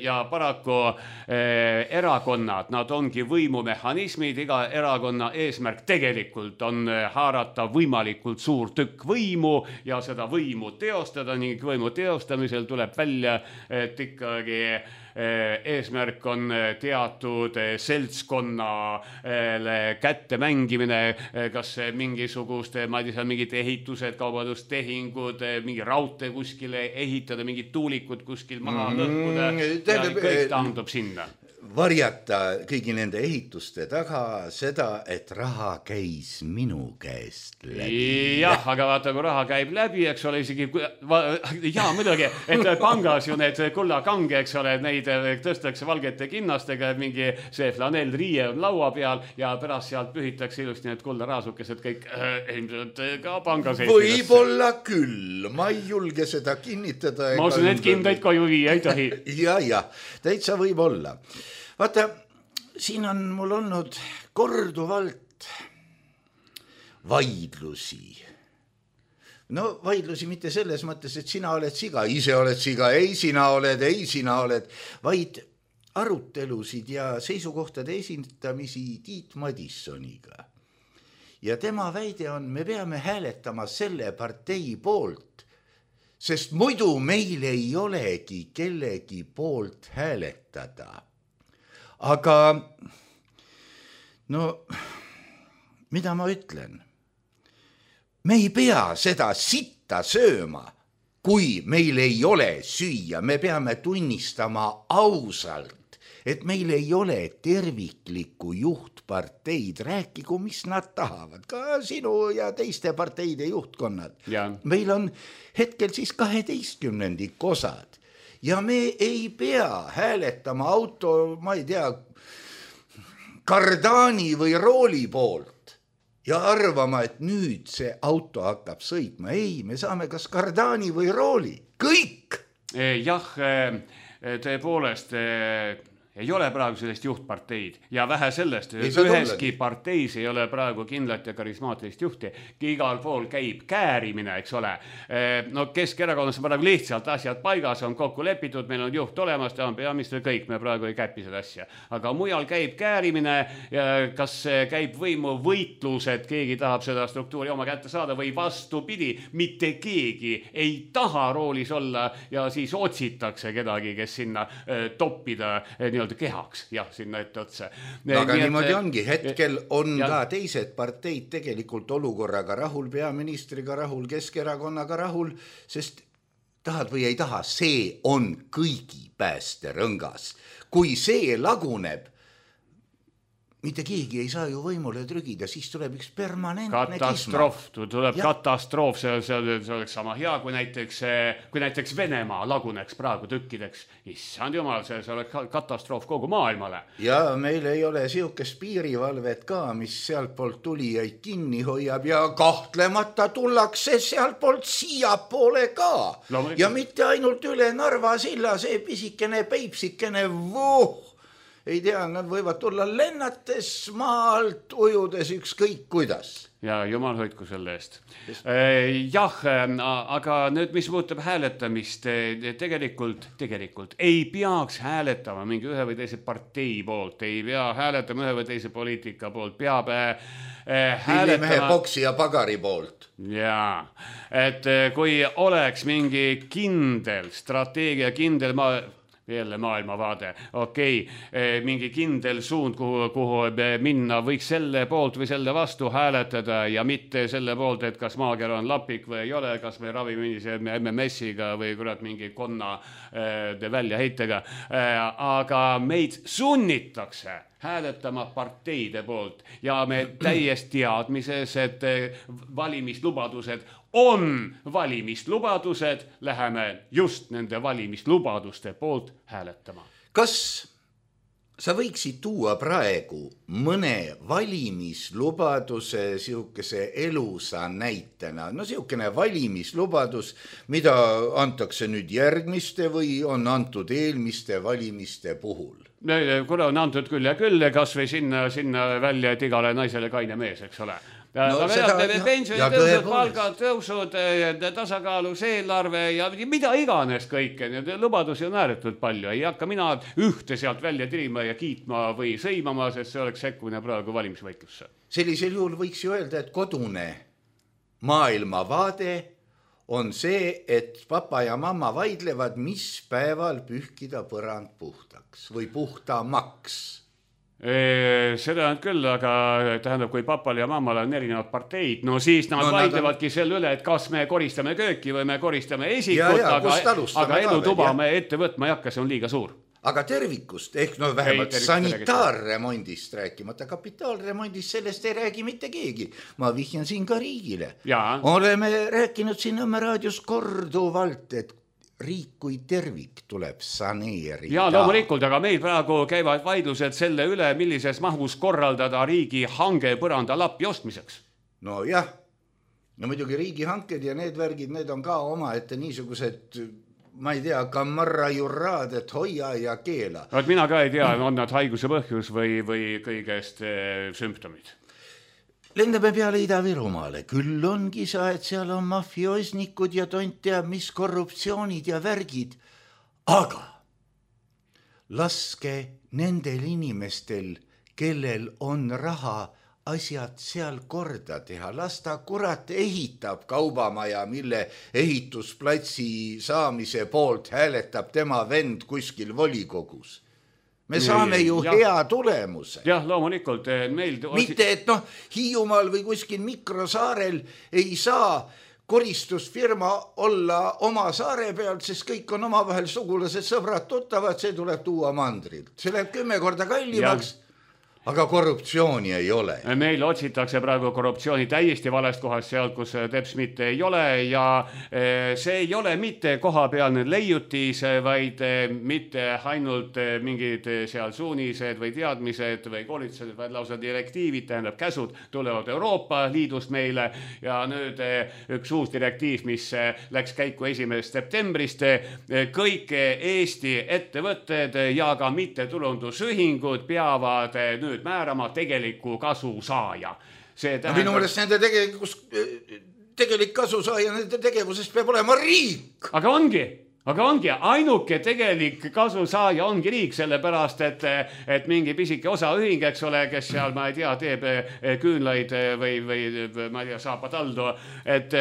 Ja paraku erakonnad, nad ongi võimumehhanismid, iga erakonna eesmärk tegelikult on haarata võimalikult suur tükk võimu ja seda võimu teostada ning võimu teostamisel tuleb välja, et ikkagi eesmärk on teatud seltskonnale kätte mängimine, kas mingisuguste, ma ei tea, mingid ehitused, kaubandustehingud, mingi raudtee kuskile ehitada, mingid tuulikud kuskil maha lõhkuda ja kõik taandub sinna. Varjata kõigi nende ehituste taga seda, et raha käis minu käest läbi. Jah, aga vaata, kui raha käib läbi, eks ole, isegi, muidugi, et pangas ju need kullakange, eks ole, neid tõstakse valgete kinnastega, mingi see flanellriie on laua peal ja pärast sealt pühitakse ilusti need kullaraasukesed kõik ilmselt ka pangas. Võib-olla küll, ma ei julge seda kinnitada. Ma usun, et kindaid koju viia ei tohi. Ja, täitsa võib olla. Vaata, siin on mul olnud korduvalt vaidlusi. Vaidlusi mitte selles mõttes, et sina oled siga, ise oled siga, ei sina oled, vaid arutelusid ja seisukohtade esintamisi Tiit Madissoniga. Ja tema väide on, me peame hääletama selle partei poolt, sest muidu meil ei olegi kellegi poolt hääletada. Aga mida ma ütlen? Me ei pea seda sitta sööma, kui meil ei ole süüa. Me peame tunnistama ausalt, et meil ei ole terviklikku juhtparteid. Rääkigu, mis nad tahavad, ka sinu ja teiste parteide juhtkonnad. Ja. Meil on hetkel siis 12 osad. Ja me ei pea hääletama auto, ma ei tea, kardaani või rooli poolt ja arvama, et nüüd see auto hakkab sõitma. Ei, me saame kas kardaani või rooli. Kõik! Jah, tõepoolest ei ole praegu sellist juhtparteid ja vähe sellest, üheski parteis ei ole praegu kindlat ja karismaatilist juhti. Igal pool käib käärimine, eks ole. Keskerakonnas on praegu lihtsalt asjad paigas, on kokku lepitud, meil on juht olemas, ta on peaminister, kõik, me praegu ei käpi seda asja. Aga mujal käib käärimine, kas käib võimu võitlus, et keegi tahab seda struktuuri oma kätte saada või vastupidi, mitte keegi ei taha roolis olla ja siis otsitakse kedagi, kes sinna toppida kehaks, jah, sinna ette otsa. Aga niimoodi ongi, hetkel on ka teised parteid tegelikult olukorraga rahul, peaministriga rahul, Keskerakonnaga rahul, sest tahad või ei taha, see on kõigi päästerõngas. Kui see laguneb, mitte keegi ei saa ju võimule trügida, siis tuleb üks permanentne katastroof, see oleks sama hea, kui näiteks Venemaa laguneks praegu tükkideks. Issand jumal, see oleks katastroof kogu maailmale. Ja meil ei ole siukest piirivalvet ka, mis sealt poolt tulijaid kinni hoiab ja kahtlemata tullakse sealt poolt siia poole ka. Ja mitte ainult üle Narva silla, see pisikene Peipsikene ei tea, nad võivad tulla lennates maalt, ujudes ükskõik kuidas. Ja jumal hoidku selle eest. Jah, aga nüüd, mis puudutab hääletamist, tegelikult ei peaks hääletama mingi ühe või teise partei poolt, ei pea hääletama ühe või teise poliitika poolt, peab Villimehe boksi ja pagari poolt. Jaa, et kui oleks mingi kindel strateegia, kindel jälle maailmavaade, mingi kindel suund, kuhu minna, võiks selle poolt või selle vastu hääletada ja mitte selle poolt, et kas maakera on lapik või ei ole, kas me ravime MMS-iga või kurat mingi konna väljaheitega, aga meid sunnitakse hääletama parteide poolt ja me täies teadmises, et valimislubadused on valimislubadused, läheme just nende valimislubaduste poolt hääletama. Kas sa võiksid tuua praegu mõne valimislubaduse siukese elusa näitena? No siukene valimislubadus, mida antakse nüüd järgmiste või on antud eelmiste valimiste puhul? Kuna on antud küll ja küll, kas või sinna välja, et igale naisele kaine mees, eks ole. No, pensionitõusud, palgatõusud, tasakaalus eelarve ja mida iganes kõike. Lubadusi on ääretult palju. Ei hakka mina ühte sealt välja tirima ja kiitma või sõimama, sest see oleks sekkumine praegu valimisvõitlusse. Sellisel juhul võiks ju öelda, et kodune maailmavaade on see, et papa ja mamma vaidlevad, mis päeval pühkida põrand puhtaks või puhtamaks. Seda on küll, aga tähendab, kui papal ja mammal on erinevad parteid, no siis nad vaidlevadki selle üle, et kas me koristame kööki või me koristame esikut, aga elutuba me ette võtma ei hakka, see on liiga suur. Aga tervikust, ehk no vähemalt sanitaarremondist rääkimata, kapitaalremondist, sellest ei räägi mitte keegi. Ma vihjan siin ka riigile. Oleme rääkinud siin Nõmme raadios korduvalt, et riik kui tervik tuleb saneerida. Ja loomulikult, aga meil praegu käivad vaidlused selle üle, millises mahus korraldada riigi hange põranda lappi ostmiseks. No jah, no muidugi riigi hanked ja need värgid, need on ka oma ette niisugused, ma ei tea, kamarra jurraad, et hoia ja keela. Mina ka ei tea, on nad haiguse põhjus või kõigest sümptomid. Lendame peale Ida-Virumaale, küll ongi sa, et seal on mafioosnikud ja tont teab, mis korruptsioonid ja värgid, aga laske nendel inimestel, kellel on raha, asjad seal korda teha. Las ta kurat ehitab kaubamaja, mille ehitusplatsi saamise poolt hääletab tema vend kuskil volikogus. Me saame ju hea tulemuse. Jah, loomulikult. Mitte, et Hiiumaal või kuskil mikrosaarel ei saa koristusfirma olla oma saare pealt, sest kõik on omavahel sugulased, sõbrad, tuttavad, see tuleb tuua mandrilt. See läheb 10 korda kallimaks. Aga korruptsiooni ei ole. Meil otsitakse praegu korruptsiooni täiesti valest kohast seal, kus teps mitte ei ole ja see ei ole mitte kohapealne leiutis, vaid mitte ainult mingid seal suunised või teadmised või koolitused, vaid lausa direktiivid, tähendab käsud tulevad Euroopa Liidust meile ja nüüd üks uus direktiiv, mis läks käiku 1. septembrist, kõik Eesti ettevõtted ja ka mittetulundusühingud peavad nüüd määrama tegeliku kasu saaja. Minu mõelest nende tegelik kasu saaja, nende tegevusest peab olema riik. Aga ongi, ainuke tegelik kasu saaja ongi riik, sellepärast, et mingi pisike osaühing, eks ole, kes seal, ma ei tea, teeb küünlaid või ma ei tea, saapataldu, et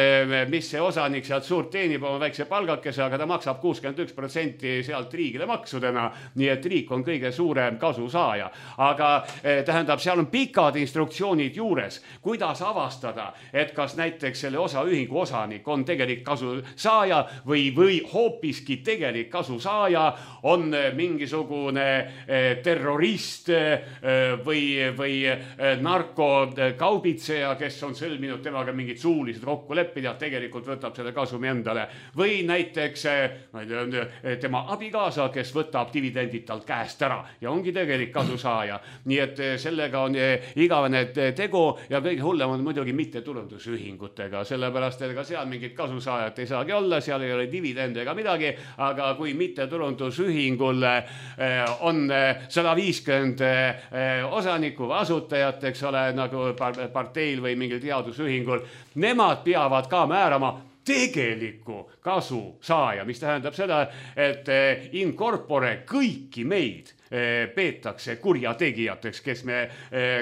mis see osanik sealt suurt teenib oma väikse palgakese, aga ta maksab 61% sealt riigile maksudena, nii et riik on kõige suurem kasu saaja. Aga tähendab, seal on pikad instruktsioonid juures, kuidas avastada, et kas näiteks selle osaühingu osanik on tegelik kasu saaja või hoopis tegelik kasu saaja on mingisugune terrorist või narkokaubitseja, kes on sõlminud temaga mingid suulised kokkulepped ja tegelikult võtab selle kasumi endale. Või näiteks tema abikaasa, kes võtab dividendid talt käest ära ja ongi tegelik kasu saaja. Nii et sellega on igavene tegu ja kõige hullem on muidugi mittetulundusühingutega, sellepärast et ka seal mingit kasu saajat ei saagi olla, seal ei ole dividende ega midagi. midagi, aga kui mittetulundusühingul on 150 osanikku või asutajat, eks ole, nagu parteil või mingil teadusühingul, nemad peavad ka määrama tegeliku kasu saaja, mis tähendab seda, et in corpore kõiki meid peetakse kurjategijateks, kes me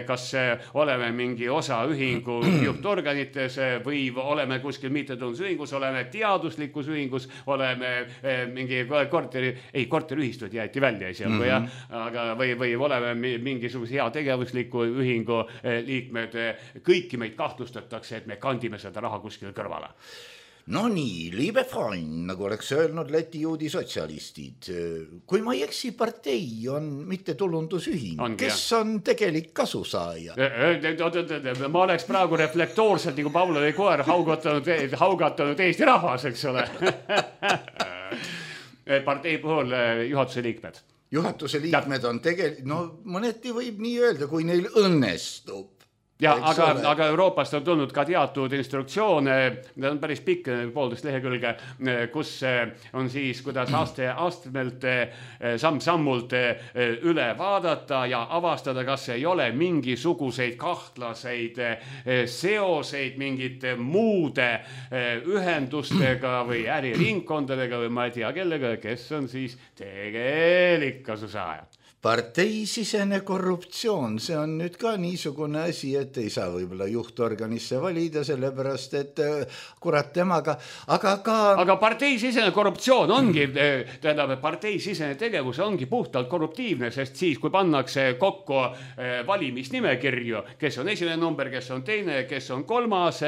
kas oleme mingi osaühingu juhtorganites või oleme kuskil mittetulundusühingus, oleme teaduslikus ühingus, oleme mingi korteriühistud jäeti välja esialgu, aga või oleme mingisuguse heategevusliku ühingu liikmed, kõiki meid kahtlustatakse, et me kandime seda raha kuskil kõrvale. No nii, liebe Freund, nagu oleks öelnud Läti juudi sotsialistid. Kui ma ei eksi, partei on mittetulundusühing. Kes on tegelik kasusaaja? Ma oleks praegu reflektoorselt nagu Pavlovi koer haugatanud Eesti rahvas, eks ole. Partei puhul juhatuse liikmed. Juhatuse liikmed on mõneti võib nii öelda, kui neil õnnestub. Ja, aga Euroopast on tulnud ka teatud instruktsioone, need on päris pikk, 1,5 lehekülge, kus on siis, kuidas astmelt samm-sammult üle vaadata ja avastada, kas ei ole mingisuguseid kahtlaseid seoseid mingite muude ühendustega või äriringkondadega või ma ei tea kellega, kes on siis tegelik kasusaaja. Parteisisene korruptsioon, see on nüüd ka niisugune asi, et ei saa võib-olla juhtorganisse valida, sellepärast, et kurat temaga, aga parteisisene korruptsioon ongi, tähendab, parteisisene tegevus ongi puhtalt korruptiivne, sest siis, kui pannakse kokku valimisnimekirju, kes on esimene number, kes on teine, kes on kolmas,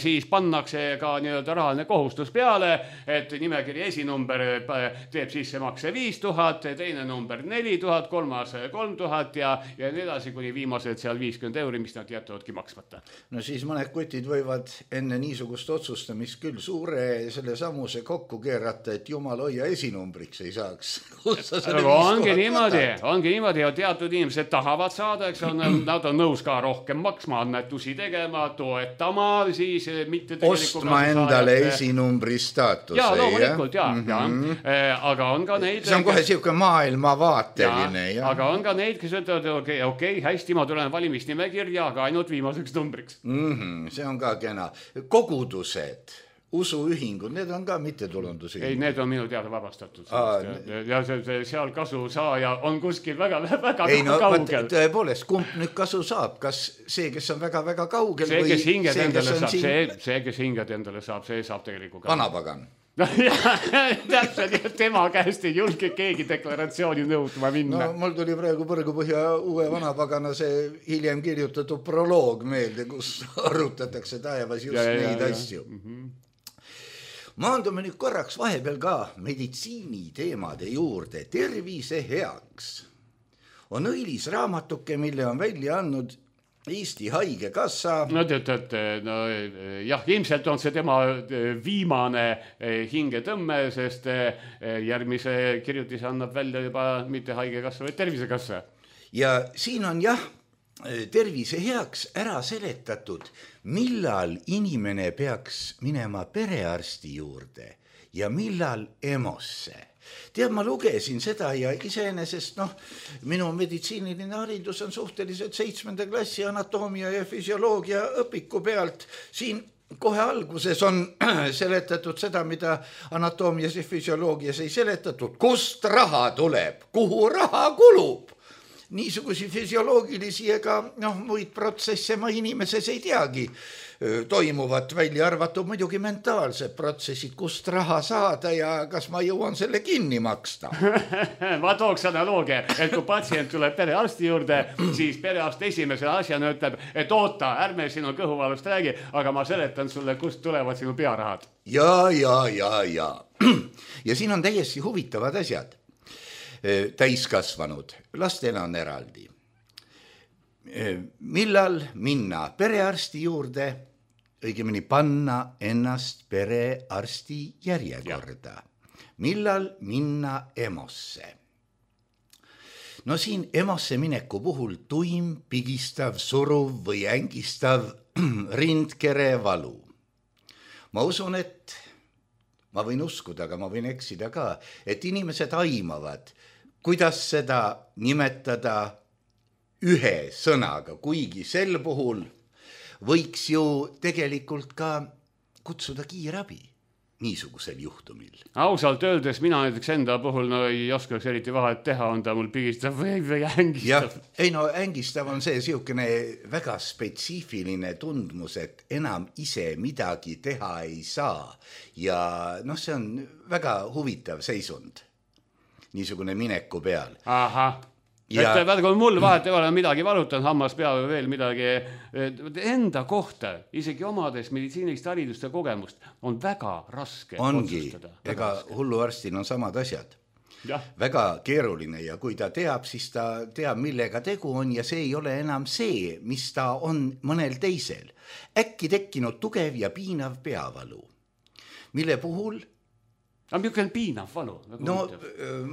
siis pannakse ka nii-öelda rahaline kohustus peale, et nimekiri esinumber teeb sissemakse 5000, teine number 4000, kolmas 3000 ja nii edasi, kuni viimased seal 50 €, mis nad jätavadki maksmata. No siis mõned kutid võivad enne niisugust otsustamist küll suure selle samuse kokku keerata, et jumal hoia esinumbriks ei saaks. Ongi niimoodi ja teatud inimesed tahavad saada, eks on, nad on nõus ka rohkem maksma, annetusi tegema, toetama, siis mitte ostma endale esinumbri staatuse. Ja, loomulikult, aga on ka neid... See on kohe siuke maailmavaateline. Aga on ka neid, kes ütlevad, okei, hästi, ma tulen valimisnimekirja, aga ainult viimaseks numbriks. See on ka kena. Kogudused, usuühingud, need on ka mittetulundusühingud. Ei, need on minu teada vabastatud. Ja seal kasu saaja on kuskil väga kaugel. Tõepoolest, kumb nüüd kasu saab? Kas see, kes on väga kaugel? See, kes hinged endale saab, see saab tegelikult ka. Vanapagan. Täpselt, tema käest ei julge keegi deklaratsiooni nõudma minna. No mul tuli praegu Põrgupõhja uue vanapagana see hiljem kirjutatud proloog meelde, kus arutatakse taevas just neid asju. Maandume nüüd korraks vahepeal ka meditsiini teemade juurde. Tervise heaks on õilis raamatuke, mille on välja andnud Eesti Haigekassa. No jah, ilmselt on see tema viimane hingetõmme, sest järgmise kirjutise annab välja juba mitte Haigekassa, vaid Tervisekassa. Ja siin on tervise heaks ära seletatud, millal inimene peaks minema perearsti juurde ja millal EMO-sse. Tead, ma lugesin seda ja iseenesest, minu meditsiiniline haridus on suhteliselt 7. klassi anatoomia ja füsioloogia õpiku pealt. Siin kohe alguses on seletatud seda, mida anatoomias ja füsioloogias ei seletatud. Kust raha tuleb? Kuhu raha kulub? Niisugusi füsioloogilisi ega muid protsesse ma inimeses ei teagi. Toimuvad välja arvatud muidugi mentaalsed protsessid, kust raha saada ja kas ma jõuan selle kinni maksta. Ma tooks analoogia, et kui patsient tuleb perearsti juurde, siis perearst esimese asjana ütleb, et oota, ärme sinu kõhuvalust räägi, aga ma seletan sulle, kust tulevad sinu pearahad. Ja. Ja siin on täiesti huvitavad asjad. Täiskasvanud, lastel on eraldi. Millal minna perearsti juurde, õigemini panna ennast perearsti järjekorda. Millal minna EMO-sse? No siin EMO-sse mineku puhul tuim, pigistav, suruv või ängistav rindkere valu. Ma usun, et ma võin uskuda, aga ma võin eksida ka, et inimesed aimavad, kuidas seda nimetada ühe sõnaga, kuigi sel puhul võiks ju tegelikult ka kutsuda kiirabi niisugusel juhtumil. Ausalt öeldes mina näiteks enda puhul ei oskaks eriti vahet teha, on ta mul pigistav või ängistav. Ei no ängistav on see siukene väga spetsiifiline tundmus, et enam ise midagi teha ei saa ja see on väga huvitav seisund niisugune mineku peal. Ahah. Et vaata, kui mul vahet ei ole midagi valutan, hammas peale veel midagi enda kohta, isegi omades meditsiinilist haridust ja kogemust, on väga raske otsustada. Ega hulluarstil on samad asjad. Ja. Väga keeruline ja kui ta teab, siis ta teab, millega tegu on ja see ei ole enam see, mis ta on mõnel teisel. Äkki tekkinud tugev ja piinav peavalu, mille puhul aga milline piinav valu? No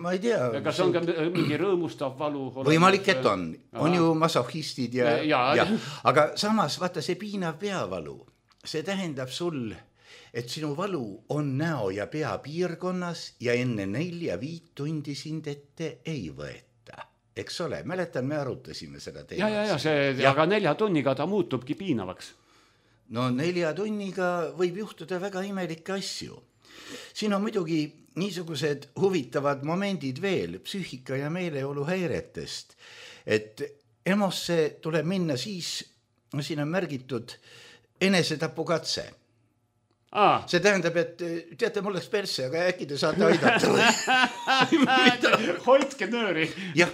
ma ei tea. Kas on ka mingi rõõmustav valu? Võimalik, et on. On ju masohhistid ja. Aga samas, vaata see piinav peavalu, see tähendab sul, et sinu valu on näo ja pea piirkonnas ja enne 4-5 tundi sind ette ei võeta. Eks ole, mäletan, me arutasime seda teemat. Aga 4 tunniga ta muutubki piinavaks. No 4 tunniga võib juhtuda väga imelikke asju. Siin on muidugi niisugused huvitavad momendid veel psüühika ja meeleolu häiretest, et EMO-sse tuleb minna siis, siin on märgitud enesetapukatse. See tähendab, et teate, mul läks persse, aga äkki te saate aidata. Hoidke nööri. Jah,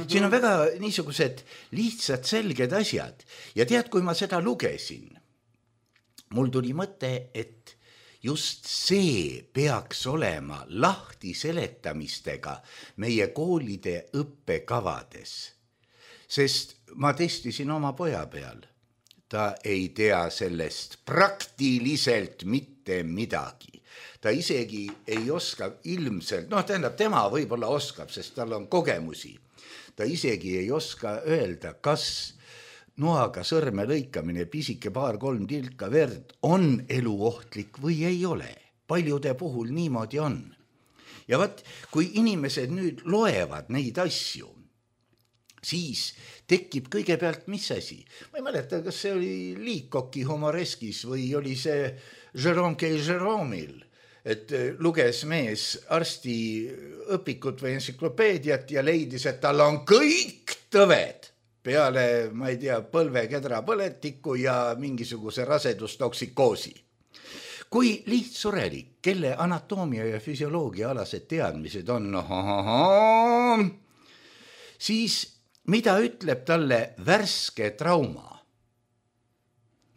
siin on väga niisugused lihtsad selged asjad ja tead, kui ma seda lugesin, mul tuli mõte, et just see peaks olema lahti seletamistega meie koolide õppekavades. Sest ma testisin oma poja peal. Ta ei tea sellest praktiliselt mitte midagi. Ta isegi ei oska ilmselt, tähendab, tema võib-olla oskab, sest tal on kogemusi. Ta isegi ei oska öelda, kas noaga sõrme lõikamine, pisike 2-3 tilka verd on eluohtlik või ei ole. Paljude puhul niimoodi on. Ja vaat, kui inimesed nüüd loevad neid asju, siis tekib kõigepealt mis asi. Ma ei mäleta, kas see oli Liikoki humoreskis või oli see Jérôme K. Jérôme'il, et luges mees arsti õpikut või entsüklopeediat ja leidis, et tal on kõik tõved. Peale, ma ei tea, põlvekedra põletiku ja mingisuguse rasedustoksikoosi. Kui lihtsurelik, kelle anatoomia ja füsioloogia alased teadmised on, siis mida ütleb talle värske trauma?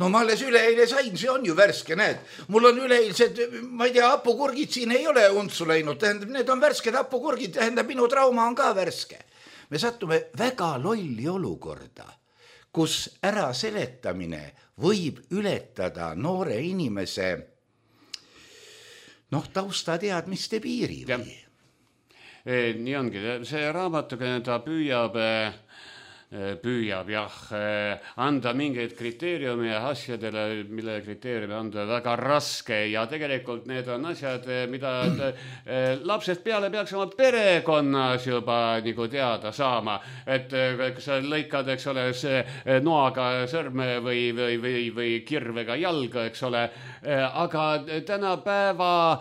No ma alles üleeile sain, see on ju värske, näed. Mul on üleeilsed, ma ei tea, hapukurgid siin ei ole untsu läinud, tähendab, need on värsked hapukurgid, tähendab, minu trauma on ka värske. Me sattume väga lolli olukorda, kus ära seletamine võib ületada noore inimese taustateadmiste piiri. Nii ongi, see raamatuga ta püüab anda mingeid kriteeriumi asjadele, mille kriteeriumi anda väga raske ja tegelikult need on asjad, mida lapsed peale peaks oma perekonnas juba nagu teada saama, et kui sa lõikad, eks ole, noaga sõrme või kirvega jalga, eks ole, aga tänapäeva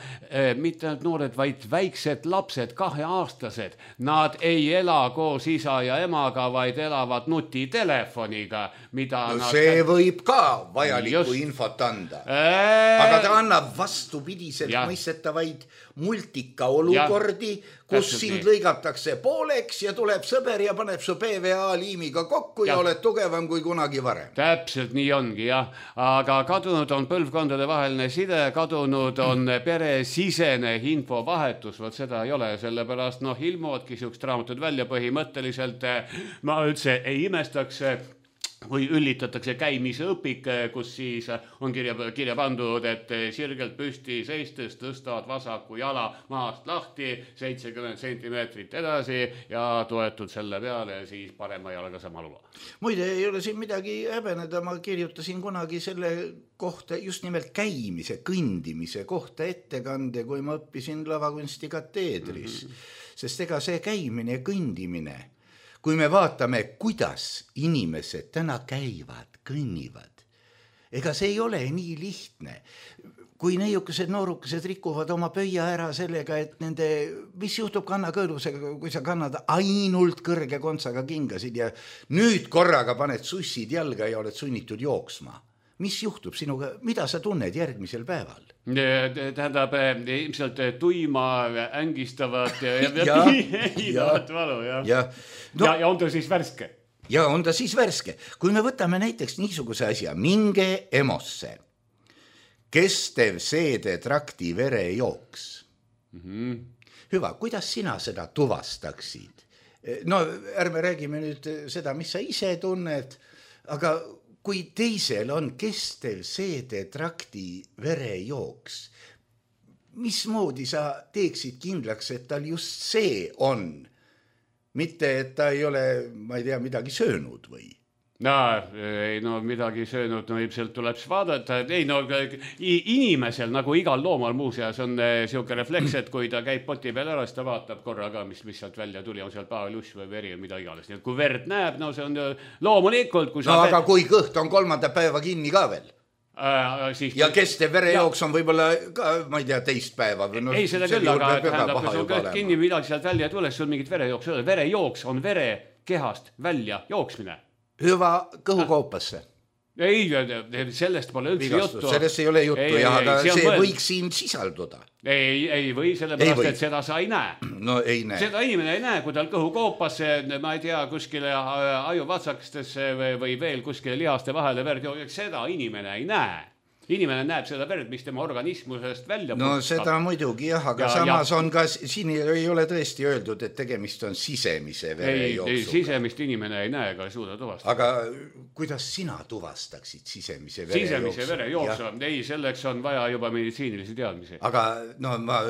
mitte noored, vaid väiksed lapsed, 2-aastased, nad ei ela koos isa ja emaga, vaid elavad nutitelefoniga, mida see võib ka vajalikku infot anda. Aga ta annab vastupidiselt mõistetavaid multika olukordi, kus sind lõigatakse pooleks ja tuleb sõber ja paneb su PVA liimiga kokku ja oled tugevam kui kunagi varem. Täpselt nii ongi, jah. Aga kadunud on põlvkondade vaheline side, kadunud on peresisene infovahetus, võt seda ei ole, sellepärast ilmuvadki siukest raamatud välja põhimõtteliselt. Ma üldse ei imestaks, või üllitatakse käimise õpik, kus siis on kirja pandud, et sirgelt püsti seistes tõstad vasaku jala maast lahti 70 sentimeetrit edasi ja toetud selle peale siis parema jalaga sama luba. Muide, ei ole siin midagi häbeneda, ma kirjutasin kunagi selle kohta just nimelt käimise, kõndimise kohta ettekande, kui ma õppisin lavakunsti kateedris. Sest ega see käimine ja kõndimine, kui me vaatame, kuidas inimesed täna käivad, kõnnivad, ega see ei ole nii lihtne. Kui neiukesed noorukesed rikuvad oma pöia ära sellega, et nende, mis juhtub kannakõõlusega, kui sa kannad ainult kõrge kontsaga kingasid ja nüüd korraga paned sussid jalga ja oled sunnitud jooksma. Mis juhtub sinuga, mida sa tunned järgmisel päeval? Tähendab, ilmselt tuima, ängistavat ja valu. Ja on ta siis värske? Ja on ta siis värske. Kui me võtame näiteks niisuguse asja, minge EMO-sse, kestev seedetrakti verejooks. Hüva, kuidas sina seda tuvastaksid? No ärme räägime nüüd seda, mis sa ise tunned, aga kui teisel on kestev seedetrakti verejooks, mismoodi sa teeksid kindlaks, et tal just see on? Mitte, et ta ei ole, ma ei tea, midagi söönud või? No midagi söönud, no ilmselt tuleb vaadata. Ei, no inimesel, nagu igal loomal muuseas, on siuke refleks, et kui ta käib poti peal ära, siis ta vaatab korra ka, mis sealt välja tuli, on seal paeluss või veri või mida iganes. Nii et kui verd näeb, no see on loomulikult. Kui aga kui kõht on 3. päeva kinni ka veel? Ja kestev verejooks on võib-olla ka, ma ei tea, teist päeva. Ei, seda küll, aga tähendab, kui sul kõht kinni midagi sealt välja tuleb, sul mingit verejooks ei ole. Verejooks on vere kehast välja jooksmine. Hüva kõhukoopasse. Ei, sellest pole üldse juttu. Sellest ei ole juttu, aga see võiks siin sisalduda. Ei või, sellepärast, et seda sa ei näe. No ei näe. Seda inimene ei näe, kui tal kõhukoopasse, ma ei tea, kuskile ajuvatsakestesse või veel kuskile lihaste vahele verd joogeks, seda inimene ei näe. Inimene näeb seda verd, mis tema organismusest välja no seda muidugi jah, aga samas on ka, siin ei ole tõesti öeldud, et tegemist on sisemise verejooksuga. Ei, sisemist inimene ei näe, ega ei suuda tuvastada. Aga kuidas sina tuvastaksid sisemise verejooksu? Sisemise verejooksu, ei, selleks on vaja juba meditsiinilisi teadmisi. Aga no ma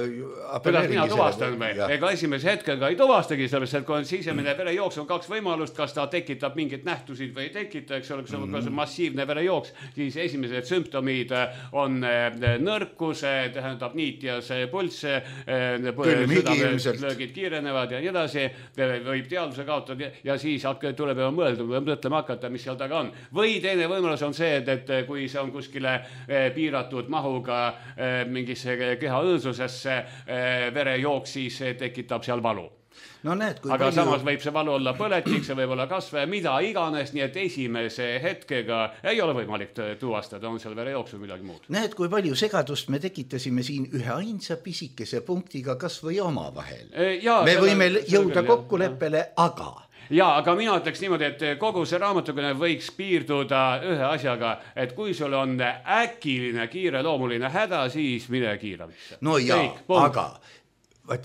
kuidas mina tuvastan või? Ega esimese hetkega ei tuvastagi, sellepärast, et kui on sisemine verejooks, on 2 võimalust, kas ta tekitab mingit nähtusid või ei tekita, eks ole, kui see on massiivne verejooks, siis esimesed sümptomid on nõrkus, tähendab niit ja see pulss, südamelöögid kiirenevad ja nii edasi, võib teadvuse kaotada ja siis tuleb juba mõtlema hakata, mis seal taga on. Või teine võimalus on see, et kui see on kuskile piiratud mahuga mingisse keha õõnsusesse verejooks, siis tekitab seal valu. No näed, aga samas võib see valu olla põletik, see võib olla kasve, mida iganes, nii et esimese hetkega ei ole võimalik tuvastada, on seal verejooksul midagi muud. Näed, kui palju segadust me tekitasime siin ühe ainsa pisikese punktiga kas või oma vahel. Me võime jõuda kokkuleppele, aga... Ja, aga mina ütleks niimoodi, et kogu see raamatukene võiks piirduda ühe asjaga, et kui sul on äkiline kiireloomuline häda, siis mine kiiramisse. No ja, aga...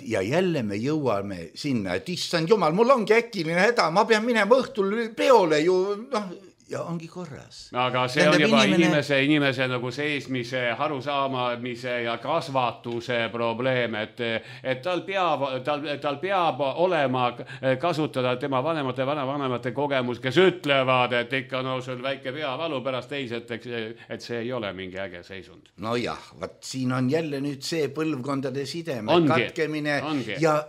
Ja jälle me jõuame sinna, et issand jumal, mul ongi äkiline häda, ma pean minema õhtul peole ju, ja ongi korras. Aga see on juba inimese nagu seesmise, harusaamise ja kasvatuse probleem, et tal peab olema kasutada tema vanemate kogemus, kes ütlevad, et ikka sul väike peavalu pärast teised, et see ei ole mingi äge seisund. No jah, siin on jälle nüüd see põlvkondade sideme katkemine ja...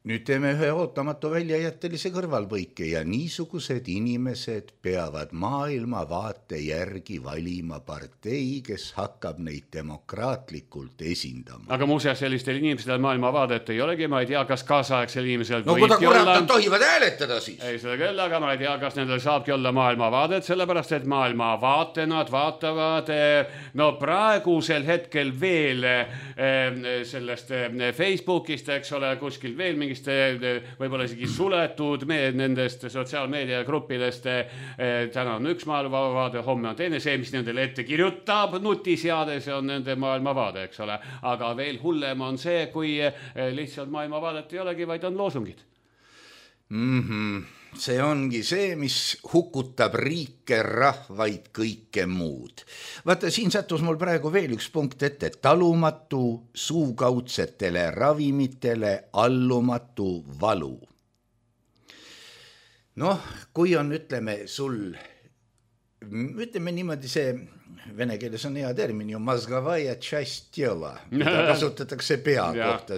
Nüüd teeme ühe ootamatu väljajättelise kõrvalpõike ja niisugused inimesed peavad maailma vaate järgi valima partei, kes hakkab neid demokraatlikult esindama. Aga muuseas sellistel inimestel maailma vaadet ei olegi, ma ei tea, kas kaasaegsel inimesel no kuda kurat nad tohivad hääletada siis? Ei seda küll, aga ma ei tea, kas nendel saabki olla maailma vaadet, sellepärast et maailma vaate nad vaatavad no praegusel hetkel veel sellest Facebookist, eks ole, kuskil veel mingi võib-olla isegi suletud nendest sotsiaalmeedia gruppidest. Täna on üks maailmavaade, homme on teine, see, mis nendele ette kirjutab nutiseade, see on nende maailmavaade, eks ole. Aga veel hullem on see, kui lihtsalt maailmavaadet ei olegi, vaid on loosungid. see ongi see, mis hukutab riike, rahvaid, kõike muud. Vaata, siin sattus mul praegu veel üks punkt ette. Talumatu suukaudsetele ravimitele allumatu valu. Noh, kui on, ütleme niimoodi see, vene keeles on hea termin ju, mazgavaja часть tela, mida kasutatakse pea kohta.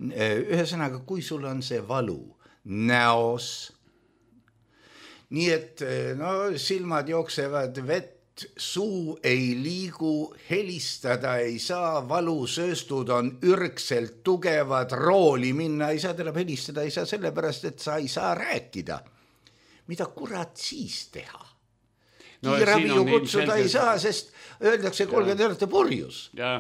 Ühesõnaga, kui sul on see valu näos, nii et silmad jooksevad vett, suu ei liigu, helistada ei saa, valusööstud on ürgselt tugevad, rooli minna ei saa, tuleb helistada ei saa sellepärast, et sa ei saa rääkida. Mida kurat siis teha? Kiirabi ju kutsuda ei saa, sest öeldakse, kuulge, te olete purjus,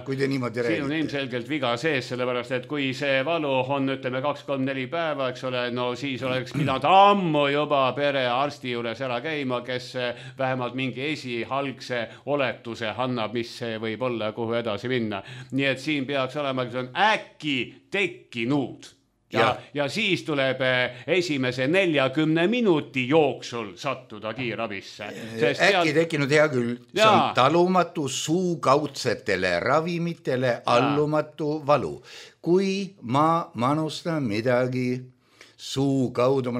kui te niimoodi räägite. Siin on ilmselgelt viga sees, sellepärast, et kui see valu on, ütleme, 2-3-4 päeva, eks ole, no siis oleks pidanud ammu juba perearsti juures ära käima, kes vähemalt mingi esihalgse oletuse annab, mis see võib olla, kuhu edasi minna. Nii et siin peaks olema, kes on äkki tekkinud. Ja siis tuleb esimese 40 minuti jooksul sattuda kiirabisse. Äkki tekkinud hea küll, see on talumatu suukaudsetele ravimitele allumatu valu. Kui ma manustan midagi suu kaudu,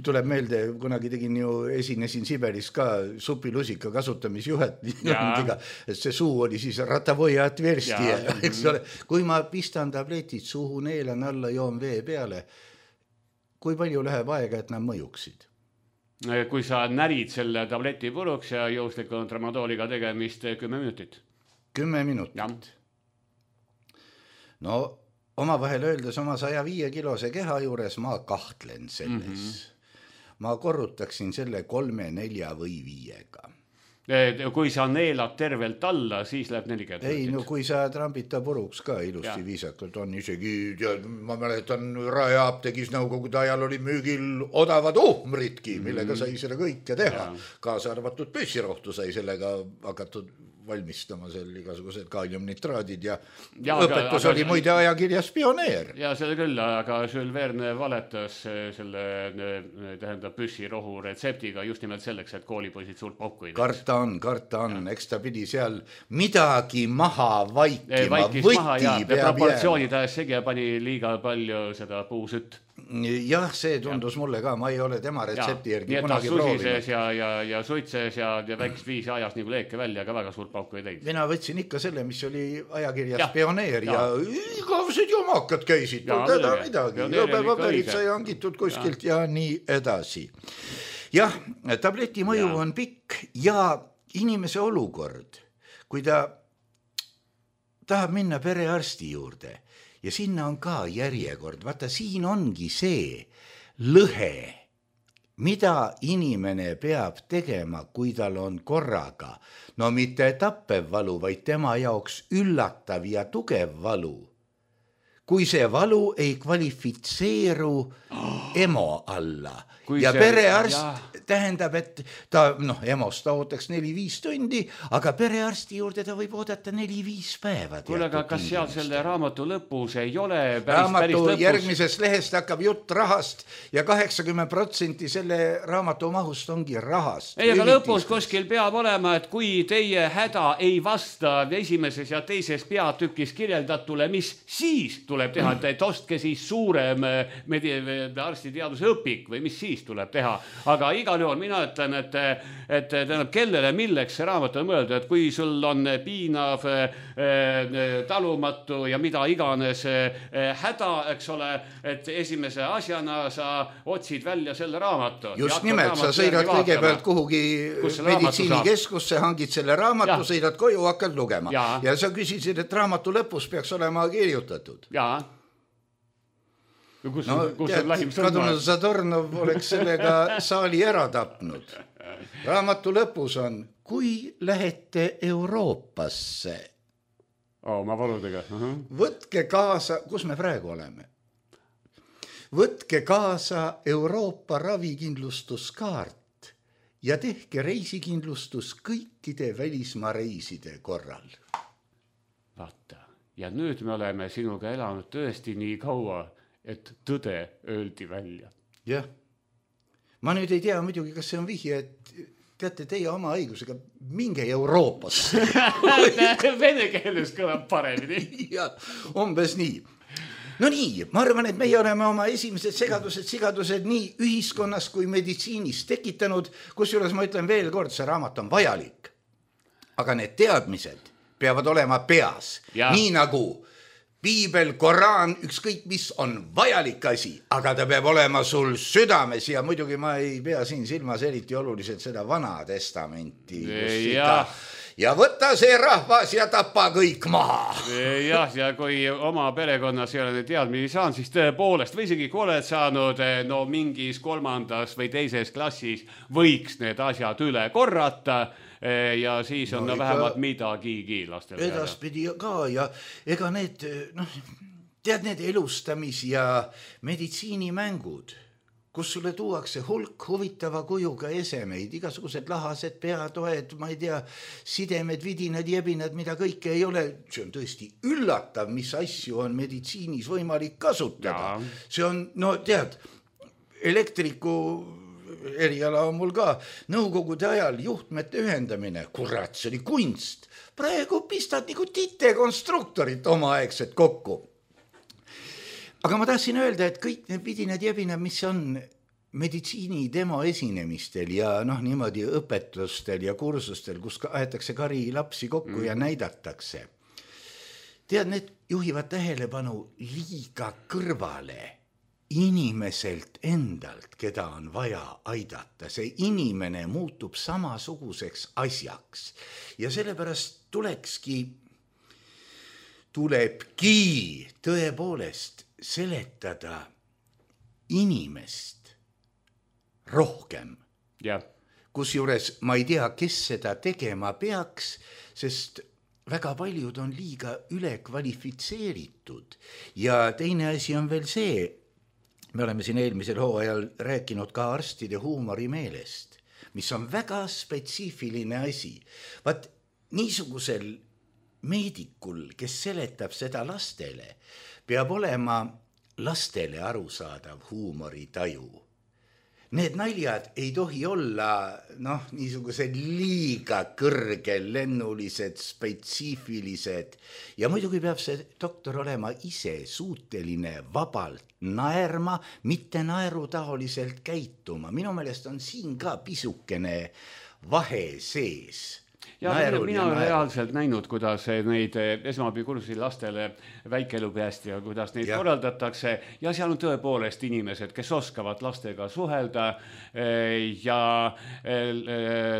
tuleb meelde, kunagi tegin ju, esinesin Siberis ka supilusika kasutamisjuhet, et see suu oli siis ratavoja atverstia, eks ole. Kui ma pistan tabletid suhu, neelan alla, joon vee peale, kui palju läheb aega, et nad mõjuksid? Kui sa närid selle tableti puruks ja juhusliku tramadooliga tegemist 10 minutit. 10 minutit? No oma vahel öeldes oma 105 kilose keha juures ma kahtlen selles. Ma korrutaksin selle 3, 4 või 5-ga. Kui sa neelad tervelt alla, siis läheb 40 minutit. Ei, no kui sa trambita puruks ka ilusti viisakalt, on isegi, ma mäletan, Raeapteegis nõukogude ajal oli müügil odavad uhmritki, millega sai seda kõike teha. Kaasa arvatud püssirohtu sai sellega hakatud valmistama seal igasugused kaaliumnitraadid ja õpetus oli muide ajakirjas Pioneer. Ja seda küll, aga Jules Verne valetas selle tähendab püssirohu retseptiga just nimelt selleks, et koolipoisid suurt pauku ei teeks. Karta on, eks ta pidi seal midagi maha vaikima, võti peab proportsioonid ajas segi ja pani liiga palju seda puusütt. Jah, see tundus mulle ka, ma ei ole tema retsepti järgi kunagi proovinud. Nii et ta susises ja suitses ja väikest viisi ajas nagu leeke välja, aga väga suurt pauku ei teinud. Mina võtsin ikka selle, mis oli ajakirjas Pioneer ja igavesed jomakad käisid, teda midagi, õpepaberid sai hangitud kuskilt ja nii edasi. Jah, tableti mõju on pikk ja inimese olukord, kui ta tahab minna perearsti juurde, ja sinna on ka järjekord. Vaata, siin ongi see lõhe, mida inimene peab tegema, kui tal on korraga. No mitte tappev valu, vaid tema jaoks üllatav ja tugev valu. Kui see valu ei kvalifitseeru EMO alla. Ja perearst tähendab, et ta, EMO-st ta ootaks 4-5 tundi, aga perearsti juurde ta võib oodata 4-5 päeva. Kuule, aga kas seal selle raamatu lõpus ei ole päris lõpus? Järgmisest lehest hakkab jutt rahast ja 80% selle raamatu mahust ongi rahast. Ei, aga lõpus kuskil peab olema, et kui teie häda ei vasta esimeses ja teises peatükis kirjeldatule, mis siis tuleb teha, et ostke siis suurem arstiteaduse õpik või mis siis tuleb teha. Aga igal juhul mina ütlen, et tähendab, kellele milleks see raamat on mõeldud, et kui sul on piinav, talumatu ja mida iganes häda, eks ole, et esimese asjana sa otsid välja selle raamatu. Just nimelt, sa sõidad kõigepealt kuhugi meditsiinikeskusse, hangid selle raamatu, sõidad koju, hakkad lugema. Ja sa küsisid, et raamatu lõpus peaks olema kirjutatud. Jaa. Kadunud Zadornov oleks sellega saali ära tapnud. Raamatu lõpus on, kui lähete Euroopasse. Ma paludega. Võtke kaasa, kus me praegu oleme? Võtke kaasa Euroopa ravikindlustuskaart ja tehke reisikindlustus kõikide välismaa reiside korral. Vaata, ja nüüd me oleme sinuga elanud tõesti nii kaua, et tõde öeldi välja. Jah. ma nüüd ei tea muidugi, kas see on vihje, et teate, teie oma õigusega minge Euroopasse. Vene keeles kõlab paremini. Ja, umbes nii. No nii, ma arvan, et meie oleme oma esimesed sigadused nii ühiskonnas kui meditsiinis tekitanud, kusjuures ma ütlen veel kord, see raamat on vajalik. Aga need teadmised peavad olema peas, nii nagu Piibel, Koraan, ükskõik mis on vajalik asi, aga ta peab olema sul südames ja muidugi ma ei pea siin silmas eriti oluliselt seda Vana Testamenti. Ja võtta see rahvas ja tapa kõik maha. Jah, ja kui oma perekonnas ei ole need teadmisi saanud, siis tõepoolest, või isegi kui oled saanud no mingis 3. või 2. klassis, võiks need asjad üle korrata ja siis on vähemalt midagigi lastel. Edaspidi ka ja ega need, tead need elustamis- ja meditsiinimängud, kus sulle tuuakse hulk huvitava kujuga esemeid, igasugused lahased peatoed, ma ei tea, sidemed, vidinad, jebinad, mida kõike ei ole. See on tõesti üllatav, mis asju on meditsiinis võimalik kasutada. See on, no tead, elektriku eriala on mul ka, nõukogude ajal juhtmete ühendamine, kurat, see oli kunst. Praegu pistad nagu titekonstruktorit omaaegset kokku. Aga ma tahtsin öelda, et kõik need vidinad jebinad, mis on meditsiini demo esinemistel ja niimoodi õpetustel ja kursustel, kus aetakse kari lapsi kokku ja näidatakse. Tead, need juhivad tähelepanu liiga kõrvale inimeselt endalt, keda on vaja aidata. See inimene muutub samasuguseks asjaks ja sellepärast tulebki tõepoolest seletada inimest rohkem. Kusjuures ma ei tea, kes seda tegema peaks, sest väga paljud on liiga ülekvalifitseeritud. Ja teine asi on veel see, me oleme siin eelmisel hooajal rääkinud ka arstide huumorimeelest, mis on väga spetsiifiline asi. Vaat niisugusel meedikul, kes seletab seda lastele, peab olema lastele arusaadav huumoritaju. Need naljad ei tohi olla niisugused liiga kõrgelennulised, spetsiifilised ja muidugi peab see doktor olema ise suuteline vabalt naerma, mitte naerutaoliselt käituma. Minu meelest on siin ka pisukene vahe sees. Ja mina olen reaalselt näinud, kuidas neid esmaabikursusi lastele väikelu peast ja kuidas neid korraldatakse ja seal on tõepoolest inimesed, kes oskavad lastega suhelda ja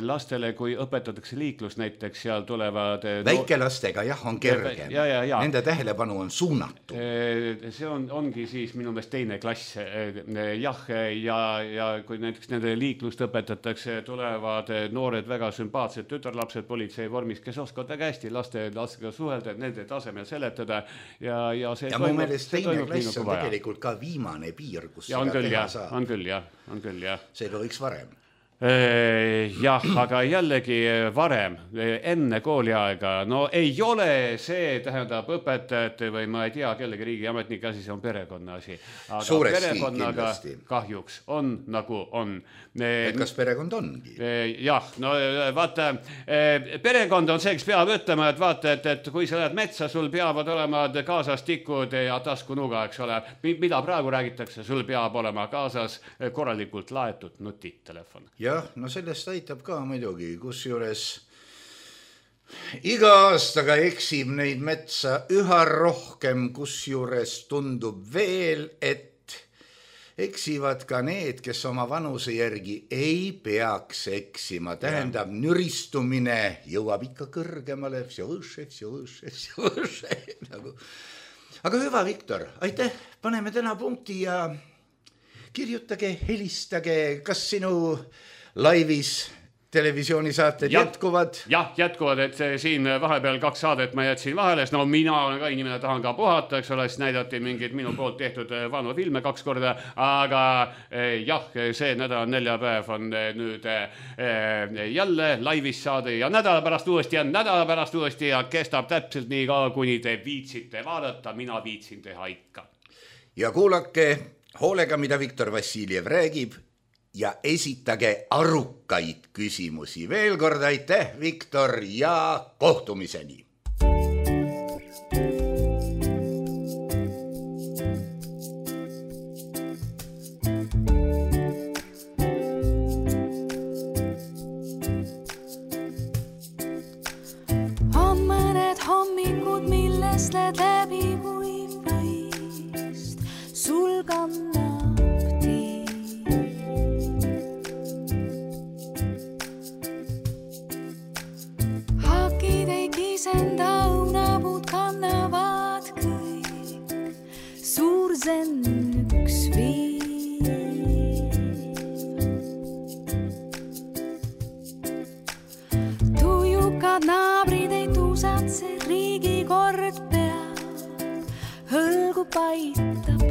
lastele, kui õpetatakse liiklus näiteks, seal tulevad väikelastega on kergem. Nende tähelepanu on suunatud. See ongi siis minu meelest 2. klass. Ja kui näiteks nende liiklust õpetatakse, tulevad noored väga sümpaatsed tütarlapsed politsei vormis, kes oskavad väga hästi lastega suhelda, nende tasemel seletada ja see mu meelest 2. klass on tegelikult ka viimane piir, kus seda teha saab. On küll, jah. Seega võiks varem. Jah, aga jällegi varem, enne kooliaega, ei ole see, tähendab õpetajate või ma ei tea, kellegi riigiametnike asi, see on perekonna asi. Aga suuresti perekonnaga kahjuks on nagu on. Et kas perekond ongi? Jah, vaata, perekond on see, kes peab ütlema, et vaata, et kui sa lähed metsa, sul peavad olema kaasas tikud ja taskunuga, eks ole. Mida praegu räägitakse, sul peab olema kaasas korralikult laetud nutitelefon. Jah, sellest aitab ka muidugi, kusjuures iga aastaga eksib neid metsa üha rohkem, kusjuures tundub veel, et eksivad ka need, kes oma vanuse järgi ei peaks eksima. Tähendab, nüristumine jõuab ikka kõrgemale. Aga hüva, Viktor, aitäh, paneme täna punkti ja kirjutage, helistage, kas sinu laivis televisioonisaated jätkuvad? Jah, jätkuvad, et siin vahepeal 2 saadet ma jätsin vahele, mina olen ka inimene, tahan ka puhata, eks ole, siis näidati mingid minu poolt tehtud vanu filme 2 korda, aga jah, see nädal neljapäev on nüüd jälle laivis saade ja nädala pärast uuesti ja kestab täpselt nii ka, kuni te viitsite vaadata, mina viitsin teha ikka. Ja kuulake hoolega, mida Viktor Vassiljev räägib ja esitage arukaid küsimusi. Veel kord aitäh, Viktor, ja kohtumiseni. On mõned hommikud, millest need läbi võist sul kannab tiib. Hakid ei kisenda, õunapuud kannavad kõik, suur zen üks viib. Tujukad naabrid ei tuusatse, riigi kord peab, hõlgu paitab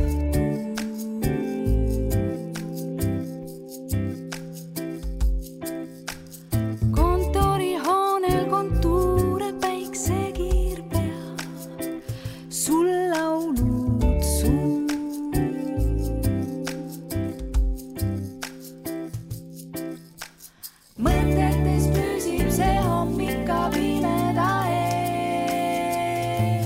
kontorihoonel kontuure päiksekiir peab, sul laulud suu. Mõtetes püsib see hommik ka pimeda ees.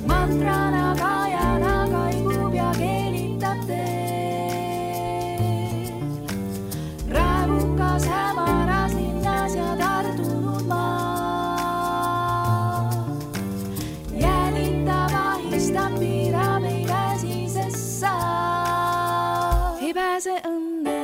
Mantrana kajana kaigub ja keelitab teed. Raevukas hämaras linnas ja tardunud maa. Jälitab, ahistab, piirab, ei pääsi, sest sa ei pääse õnne eest.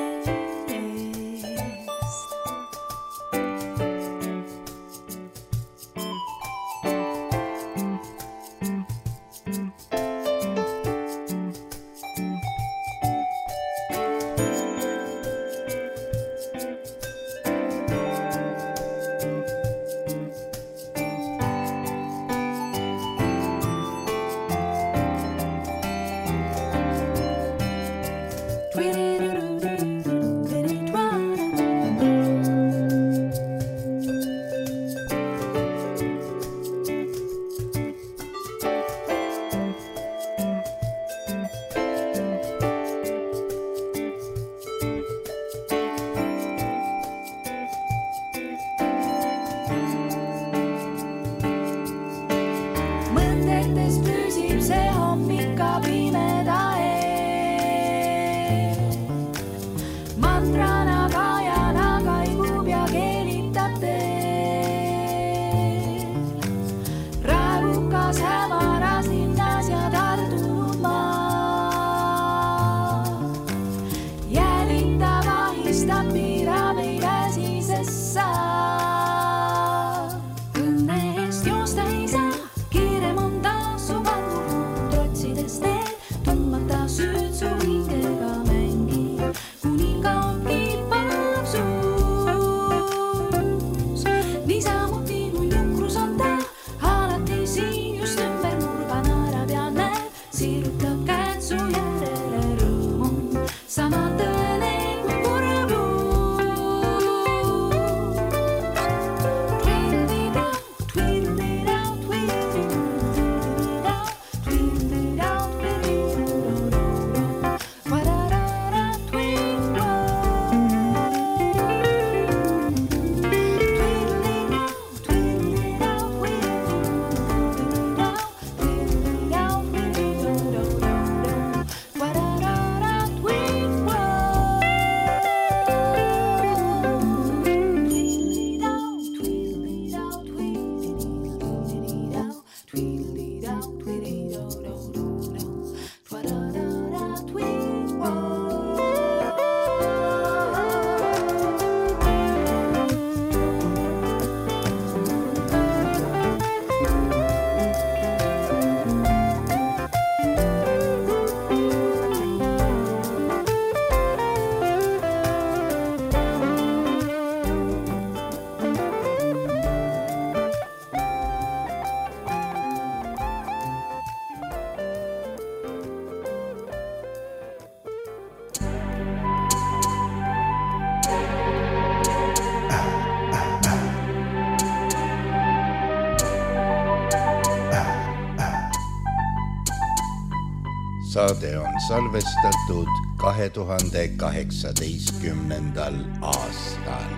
Saade on salvestatud 2018. aastal.